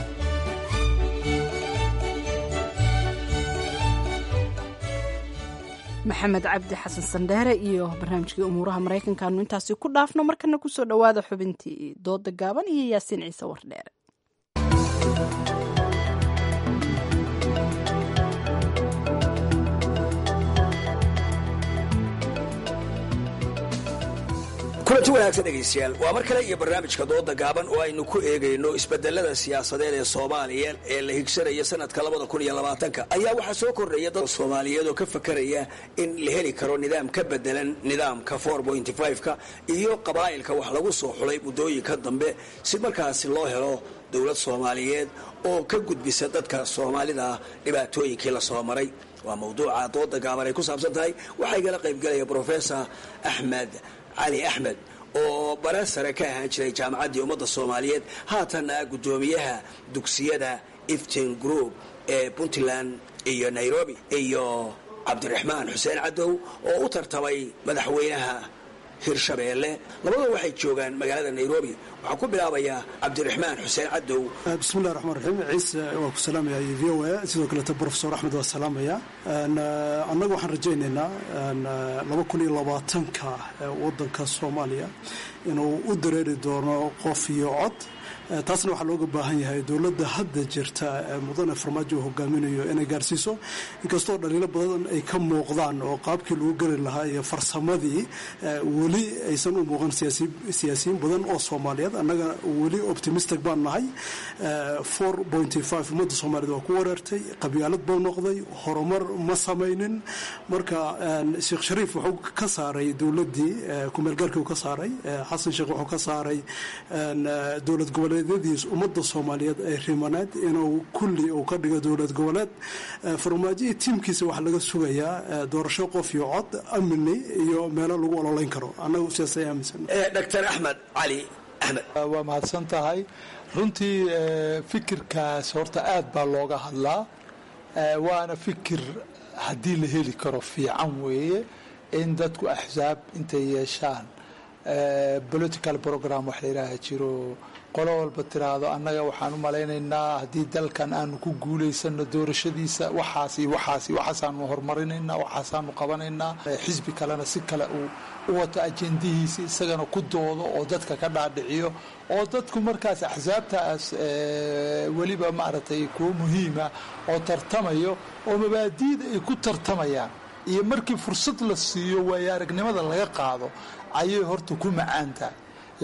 Maxamed Cabdi Xasan Sandheere iyo barnaamijkii umuuraha Maraykanka aanu intaasi ku dhaafno. Markana kusoo dhowaada xubintii dooda gaaban iyo Yaasiin Ciise Wardheere. Kulanti wanaagsan dhegaystayaal, waa mar kale iyo barnaamijka dooda gaaban oo aynu ku eegayno isbedelada siyaasadeed ee Soomaaliya ee la higsanaya sanadka labada kun iyo labaatanka. Ayaa waxaa soo kordhaya dad Soomaaliyeed oo ka fakaraya in la heli karo nidaam ka bedelan nidaamka four point five-ka iyo qabaa'ilka wax lagu soo xulay muddooyinka dambe, si markaasi loo helo dowlad Soomaaliyeed oo ka gudbisa dadka Soomaalida dhibaatooyinkii la soo maray. Waa mawduuca dooda gaaban ay ku saabsan tahay. Waxaa igala qaybgalaya Professor Axmed Cali Axmed oo bare sare ka ahaan jiray Jaamacaddii Ummadda Soomaaliyeed, haatanna guddoomiyaha dugsiyada Iftin Group ee Puntland iyo Nairobi, iyo Cabdiraxmaan Xuseen Cadow oo u tartamay madaxweynaha Hirshabeelle. Labadua waxay joogaan magaalada Nairobi. Waxaan ku bilaabayaa Cabdiraxmaan Xuseen Cadow. Bismillahi raxmaan raxiim. Ciise, waa ku salaamaya iyo v o a, sidoo kaleeta Professor Axmed waa salaamaya. Annaga waxaan rajaynaynaa laba kun iyo labaatanka wadanka Soomaaliya inuu u dareeri doono qof iyo cod. Taasna waxaa looga baahan yahay dowladda hadda jirta ee mudane Farmaajo uu hogaaminayo inay gaarsiiso, inkastoo dhaliilo badan ay ka muuqdaan oo qaabkii lagu geli lahaa iyo farsamadii weli aysan u muuqan siyaasiyiin badan oo Soomaaliyeed. Annaga weli optimistic baan nahay. four point five ummadda Soomaaliyeed waa ku wareertay, qabyaalad buu noqday, horumar ma samaynin. Marka Sheekh Shariif wuxuu ka saaray dowladdii kumeelgaarkii uu ka saaray, Xasan Sheekh wuxuu ka saaray dowlad goboleed ummadda Soomaaliyeed ay rimaneed inuu kulli uu ka dhigo dowlad goboleed. Farmaajo iyo tiimkiisa waxaa laga sugayaa doorasho qof iyo cod, amni iyo meelo lagu ololeyn karo. Annagu sidaas ay aaminsan. Doctor Axmed Cali Axmed. Waa mahadsan tahay. Runtii fikirkaas horta aad baa looga hadlaa, waana fikir haddii la heli karo fiican weeye, in dadku axsaab intay yeeshaan political program wax la yidhaaha jiro, qolo walba tiraahdo annaga waxaan u malaynaynaa haddii dalkan aanu ku guulaysano doorashadiisa waxaas iyo waxaas iyo waxaasaanu horumarinaynaa, waxaasaanu qabanaynaa, xisbi kalena si kale uu u wato ajendihiisa, isagana ku doodo oo dadka ka dhaadhiciyo, oo dadku markaas axsaabtaas weliba maaragtay kuwo muhiima oo tartamayo oo mabaadiida ay ku tartamayaan iyo markii fursad la siiyo waayo aragnimada laga qaado ayay horta ku macaan tahay.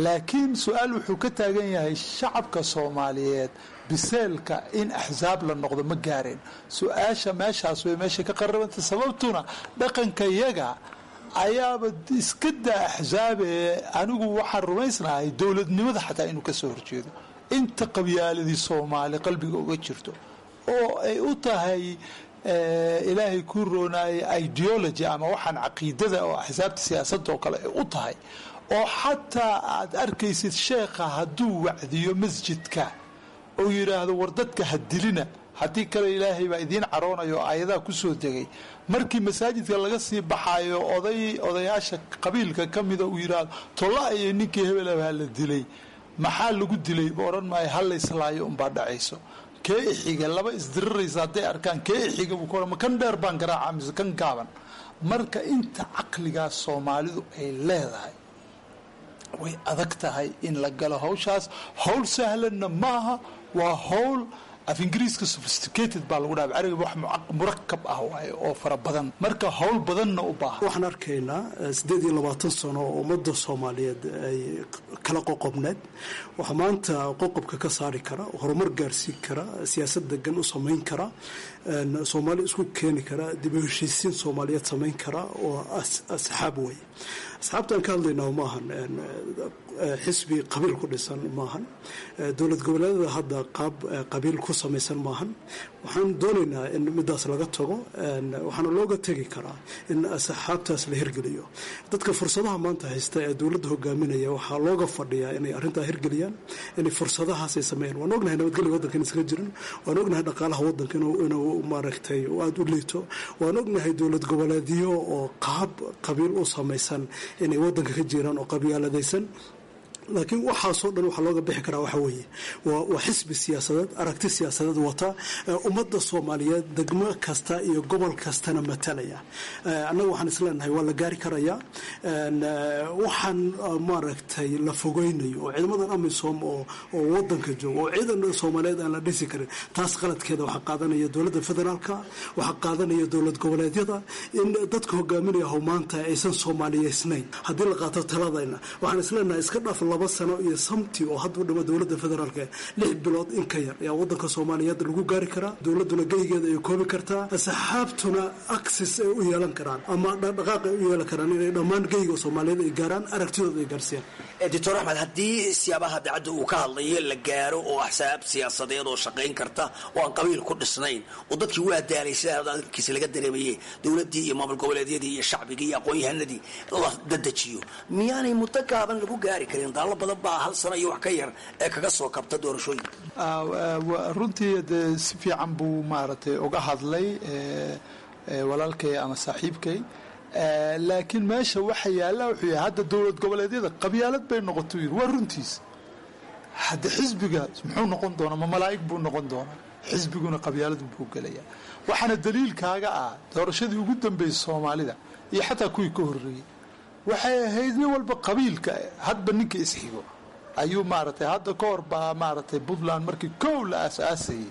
Laakiin su-aal wuxuu ka taagan yahay, shacabka Soomaaliyeed biseelka in axsaab la noqdo ma gaareen? Su-aasha meeshaas way meesha ka qarabanta, sababtuna dhaqanka yaga ayaaba iska daa axsaabee. Anigu waxaan rumaysnahay dowladnimada xataa inuu kasoo horjeedo inta qabyaaladii Soomaali qalbiga uga jirto oo ay u tahay ilaahay kuu roonaayay ideology ama waxaan caqiidada oo axsaabta siyaasadda oo kale ay u tahay, oo xataa aad arkaysid sheekha hadduu wacdiyo masjidka oo yidhaahdo war dadka ha dilina, haddii kale ilaahay baa idiin caroonayo, oo aayadaha ku soo degay, markii masaajidka laga sii baxaayo oday odayaasha qabiilka ka mida uu yidhaahdo tolla iyo ninkii hebelabaa la dilay, maxaa lagu dilay ba odhan maayo, ha layslaayo unbaa dhacayso. Kee ixiga laba isdiriraysa hadday arkaan, kee ixiga buu ku odhan, ma kan dheer baan garaaca mise kan gaaban? Marka inta caqligaas Soomaalidu ay leedahay way adag tahay in la galo hawshaas. Hawl sahlanna maaha, waa hawl af Ingiriiska sophisticated baa lagu dhaha, carabiga wax murakab ah waaye oo fara badan, marka hawl badanna u baahan. Waxaan arkaynaa siddeed iyo labaatan sano oo ummadda Soomaaliyeed ay kala qoqobneed. Waxaa maanta qoqobka ka saari kara, horumar gaarsiin kara, siyaasad degan u samayn kara, Soomaali isku keeni kara, dib u heshiisiin Soomaaliyeed samayn kara oo asxaab wey. Asxaabtaan ka hadlaynaa maahan xisbi qabiil ku dhisan, maahan dowlad goboleedyada hadda qaab qabiil ku samaysan maahan. Waxaan doonaynaa in midaas laga tago, waxaana looga tegi karaa in asxaabtaas la hirgeliyo. Dadka fursadaha maanta haysta ee dowladda hogaaminaya waxaa looga fadhiyaa inay arrintaa hirgeliyaan, inay fursadahaas ay sameeyaan. Waan ognahay nabadgelya waddanka in iskaga jirin, waan ognahay dhaqaalaha waddanka inuu maaragtay aada u liito, waan ognahay dowlad goboleedyo oo qaab qabiil u samaysan inay waddanka ka jiraan oo qabyaaladaysan. Laakiin waxaasoo dhan waxaa looga bixi karaa waxa weeye waa xisbi siyaasadeed, aragti siyaasadeed wata, ummadda Soomaaliyeed degmo kasta iyo gobol kastana matalaya. Annaga waxaan isleenahay waa la gaari karayaa. Waxaan maaragtay la fogeynayo oo ciidamadan AMISOM oo oo wadanka jooga oo ciidan Soomaaliyeed aan la dhisi karin, taas qaladkeeda waxaa qaadanaya dowladda federaalka, waxaa qaadanaya dowlad goboleedyada, in dadka hogaaminaya maanta aysan soomaaliyeysnayn. Haddii la qaato taladayna, waxaan isleenahay iska dhaaf laba sano iyo samti oo hadda u dhama dowladda federaalka, lix bilood in ka yar ayaa wadanka Soomaaliyeed lagu gaari karaa, dowladduna geygeeda ay koobi kartaa, asxaabtuna access ay u yeelan karaan ama dhaqdhaqaaq ay u yeelan karaan inay dhammaan geyga Soomaaliyeed ay gaaraan, aragtidooda ay gaarsiiyaan. Doctor Axmed, haddii siyaabaha dacadda uu ka hadlayo la gaaro oo axsaab siyaasadeed oo shaqayn karta oo aan qabiil ku dhisnayn, oo dadkii waa daalay sida hadalkiisa laga dareemayey, dowladdii iyo maamul goboleedyadii iyo shacbigii iyo aqoon-yahanadii la dadejiyo, miyaanay muddo gaaban lagu gaari karin? Daallo badan baa hal sano iyo wax ka yar ee kaga soo kabta doorashooyinka. Runtii dee si fiican buu maaragtay uga hadlay walaalkay ama saaxiibkay, laakiin meesha waxa yaalla wuxuu yahay hadda dowlad goboleedyada qabyaalad bay noqoto, yiri waa runtiis. Hadda xisbiga muxuu noqon doonaa? Ma malaa'ig buu noqon doonaa? Xisbiguna qabyaalad buu gelayaa. Waxaana daliilkaaga ah doorashadii ugu dambeysay Soomaalida iyo xataa kuwii ka horreeyey waxay ahayd nin walba qabiilka hadba ninka isxigo ayuu maaragtay. Hadda ka hor baa maaragtay Puntland markii kow la aas-aasayey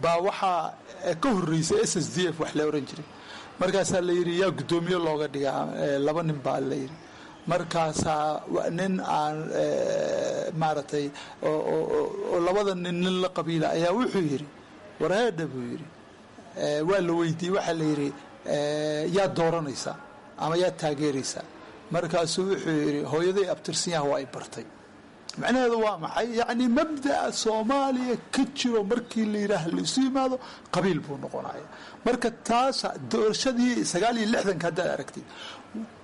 baa waxaa ka horreysay S S D F wax la oran jiray. Markaasaa la yidhi yaa guddoomiye looga dhigaa? Laba nin baa la yidhi. Markaasaa nin aan maaragtay oo labada nin nin la qabiila ayaa wuxuu yidhi warheedha buu yidhi. Waa la weydiiyey, waxaa la yidhi yaa dooranaysaa ama yaa taageeraysaa? Markaasuu wuxuu yidhi hooyaday abtirsanyaha waa ay bartay. Macnaheedu waa maxay? Yacni mabda'a Soomaaliya ka jiro markii la yidhaah laisu yimaado qabiil buu noqonaya. Marka taas doorashadii sagaal iyo lixdanka haddaad aragtid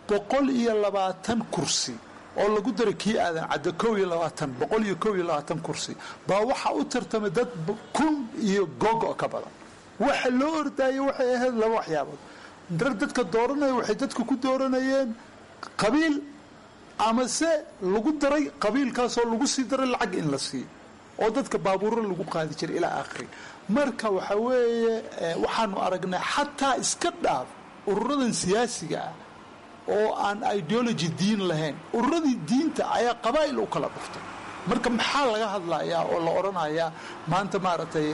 boqol iyo labaatan kursi oo lagu daray kii Aadan Cadde kow iyo labaatan, boqol iyo kow iyo labaatan kursi baa waxaa u tartamay dad kun iyo googo ka badan. Waxa loo ordaayay waxay ahayd laba waxyaabood. Dar dadka dooranaya waxay dadka ku dooranayeen qabiil amase lagu daray qabiilkaasoo lagu sii daray lacag in la siiyo oo dadka baabuuro lagu qaadi jiray ilaa aakhiri. Marka waxa weeye waxaanu aragnay xataa iska dhaaf ururadan siyaasiga ah oo aan ideology diin lahayn, ururadii diinta ayaa qabaa'il u kala dhuftay. Marka maxaa laga hadlayaa oo la odhanayaa maanta maaragtay?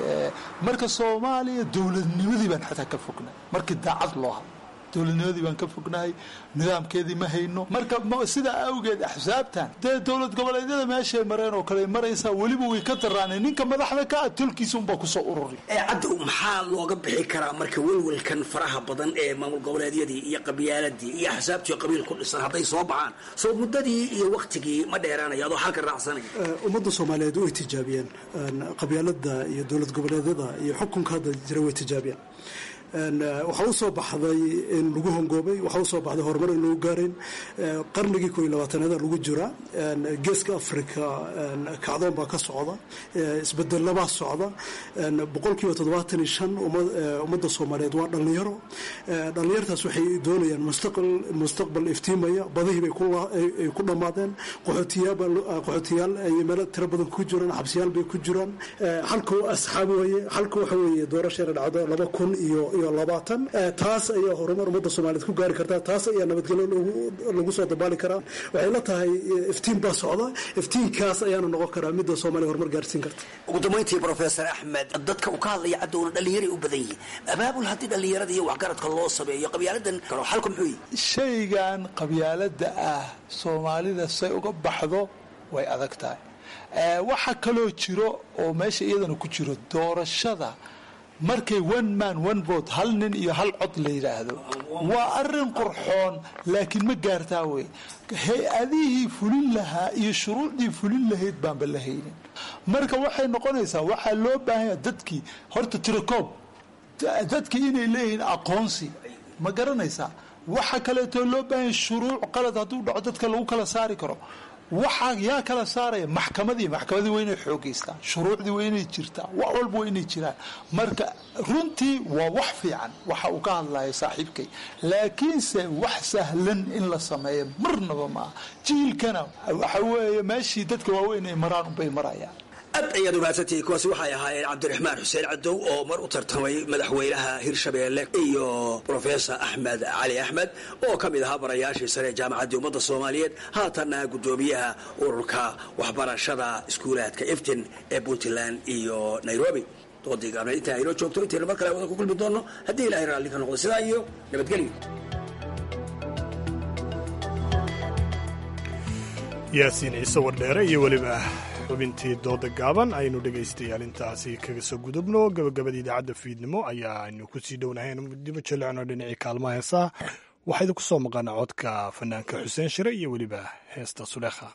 Marka Soomaaliya dowladnimadii baan xataa ka fognay markii daacad loo hadlo, dowladnimadii baan ka fognahay, nidaamkeedii ma hayno. Marka sidaa awgeed axsaabtan dee dowlad goboleedyada meeshay mareen oo kale maraysaa, weliba way ka daraaneen. Ninka madaxda ka ah tolkiisa unbaa kusoo ururi. Caddow, maxaa looga bixi karaa marka welwelkan faraha badan ee maamul goboleedyadii iyo qabyaaladii iyo axsaabtii qabiil ku dhisan hadday soo baxaan, soo muddadii iyo waktigii ma dheeraanaya adoo xalka raacsanaya? Ummadda Soomaaliyeed way tijaabiyeen qabyaalada iyo dowlad goboleedyada iyo xukunka hadda jira, way tijaabiyeen. Waxaa u soo baxday in lagu hongoobay, waxaa usoo baxday horumar in lagu gaarayn. Qarnigii koo iyo labaatanaada lagu jiraa, geeska Africa kacdoon baa ka socda, isbedelabaa socda. Boqolkiiba toddobaatan iyo shan ummadda Soomaaliyeed waa dhallinyaro. Dhallinyartaas waxay doonayaan mustaqbal, mustaqbal iftiimaya. Badihii bay ay ku dhammaadeen, qaxootiyaal ay meelo tiro badan ku jiraan, xabsiyaal bay ku jiraan. Halka asxaab weeye, halka waxa weeye doorashada dhacdo laba kun iyo iyo labaatan, taas ayaa horumar ummadda Soomaaliyeed ku gaari kartaa, taas ayaa nabadgelyo lagu soo dabaali karaa. Waxay la tahay iftiin baa socda, iftiinkaas ayaana noqon karaa midda Soomaaliya horumar gaarsiin karta. Ugu dambayntii Professor Axmed, dadka uu ka hadlaya Cadowna dhallinyaray u badan yihiin. Abaabul haddii dhallinyarada iyo waxgaradka loo sameeyo qabyaaladan karo, xalku muxuu yihi? Shaygan qabyaaladda ah Soomaalida say uga baxdo way adag tahay. Waxa kaloo jiro oo meesha iyadana ku jiro doorashada Markay one man one vote, hal nin iyo hal cod la yidhaahdo, waa arin qurxoon, laakiin ma gaartaa wey. Hay-adihii fulin lahaa iyo shuruucdii fulin lahayd baanba la haynin. Marka waxay noqonaysaa, waxaa loo baahanya dadkii horta tirakoob, dadkii inay leeyihiin aqoonsi, ma garanaysaa? Waxa kaleetoo loo baahanya shuruuc qalad hadduu dhaco dadka lagu kala saari karo. Waxaa yaa kala saaraya? Maxkamadii. Maxkamadii waa inay xoogeystaan, shuruucdii waa inay jirtaa, wax walba waa inay jiraan. Marka runtii waa wax fiican waxa uu ka hadlaya saaxiibkay, laakiinse wax sahlan in la sameeyo marnaba maaha. Jiilkana waxa weeye meeshii dadka waaweyn ay maraan unbay marayaan. Aad ayaad umaadsantihiin. Kuwaasi waxay ahaayeen Cabdiraxmaan Xuseen Cadow oo mar u tartamay madaxweynaha Hirshabeelle iyo Professor Axmed Cali Axmed oo ka mid ahaa barayaashii sare ee Jaamacaddii Ummadda Soomaaliyeed, haatanna guddoomiyaha ururka waxbarashada iskuulaadka Iftin ee Puntland iyo Nairobi. Doodii gaabneed intaa inoo joogto. Intaynu mar kale wada ku kulmi doonno haddii Ilahay raalli ka noqdo, sidaa iyo nabadgelyo. Yaasiin Ciise Wardheere iyo weliba xubintii dooda gaaban aynu dhegaystayaal intaasi kaga soo gudubno. Gabagabada idaacadda fiidnimo ayaa aynu kusii dhownahay. Dibu jaleecno dhinacii kaalmaha heesaha. Waxaa idinku soo maqana codka fanaanka Xuseen Shire iyo weliba heesta Suleekha.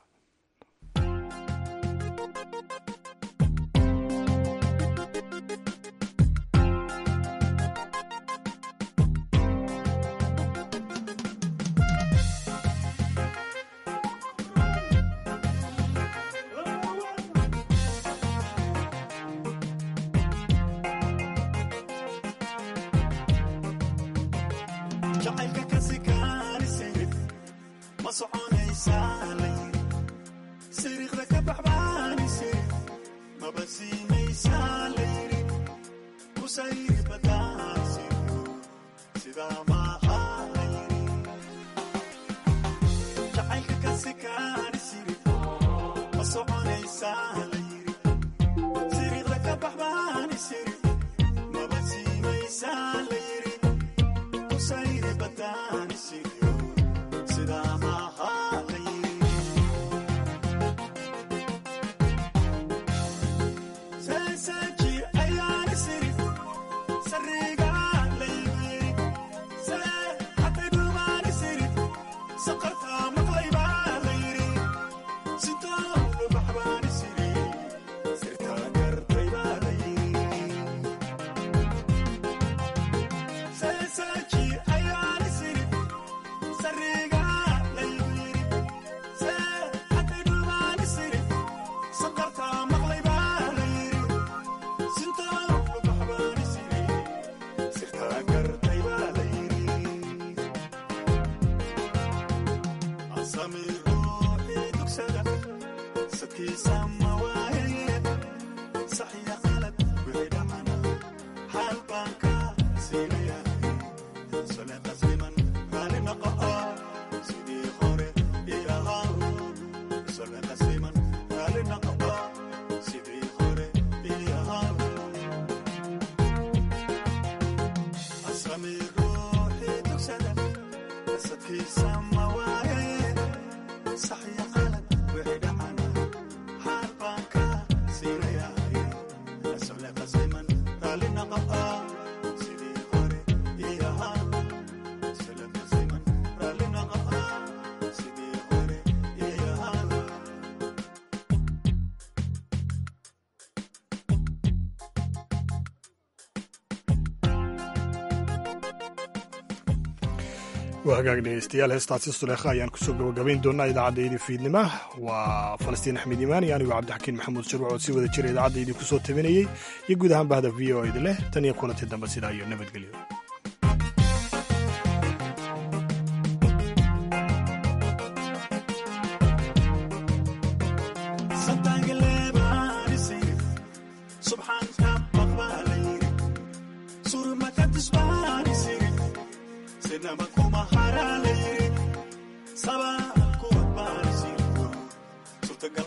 Waa hagaag dhegeystayaal, heestaasi Suleekha ayaan kusoo gabagabayn doonaa idaacaddaydi fiidnima. Waa Falastiin Axmed Iimaan iyo anigu Cabdixakiin Maxamuud Shirwac oo si wada jira idaacaddaydi kusoo tabinayey iyo guud ahaan bahda V O edi leh. Tan iyo kulanti dambe, sidaa iyo nabadgelyo.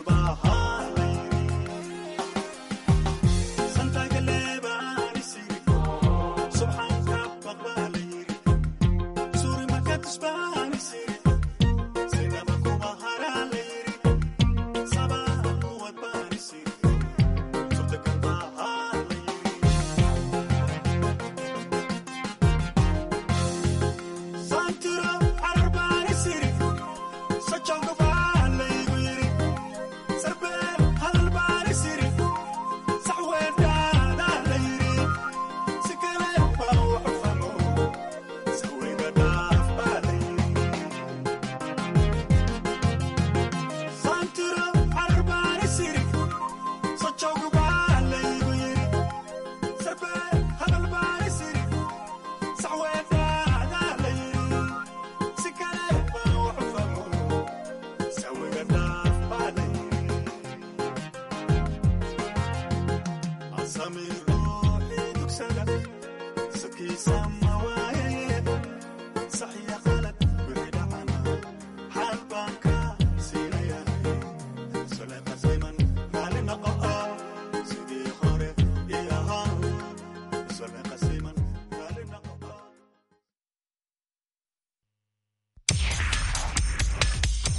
Bye. Sama waaye, sax iyo qalad wixii dhacana, xaal baan ka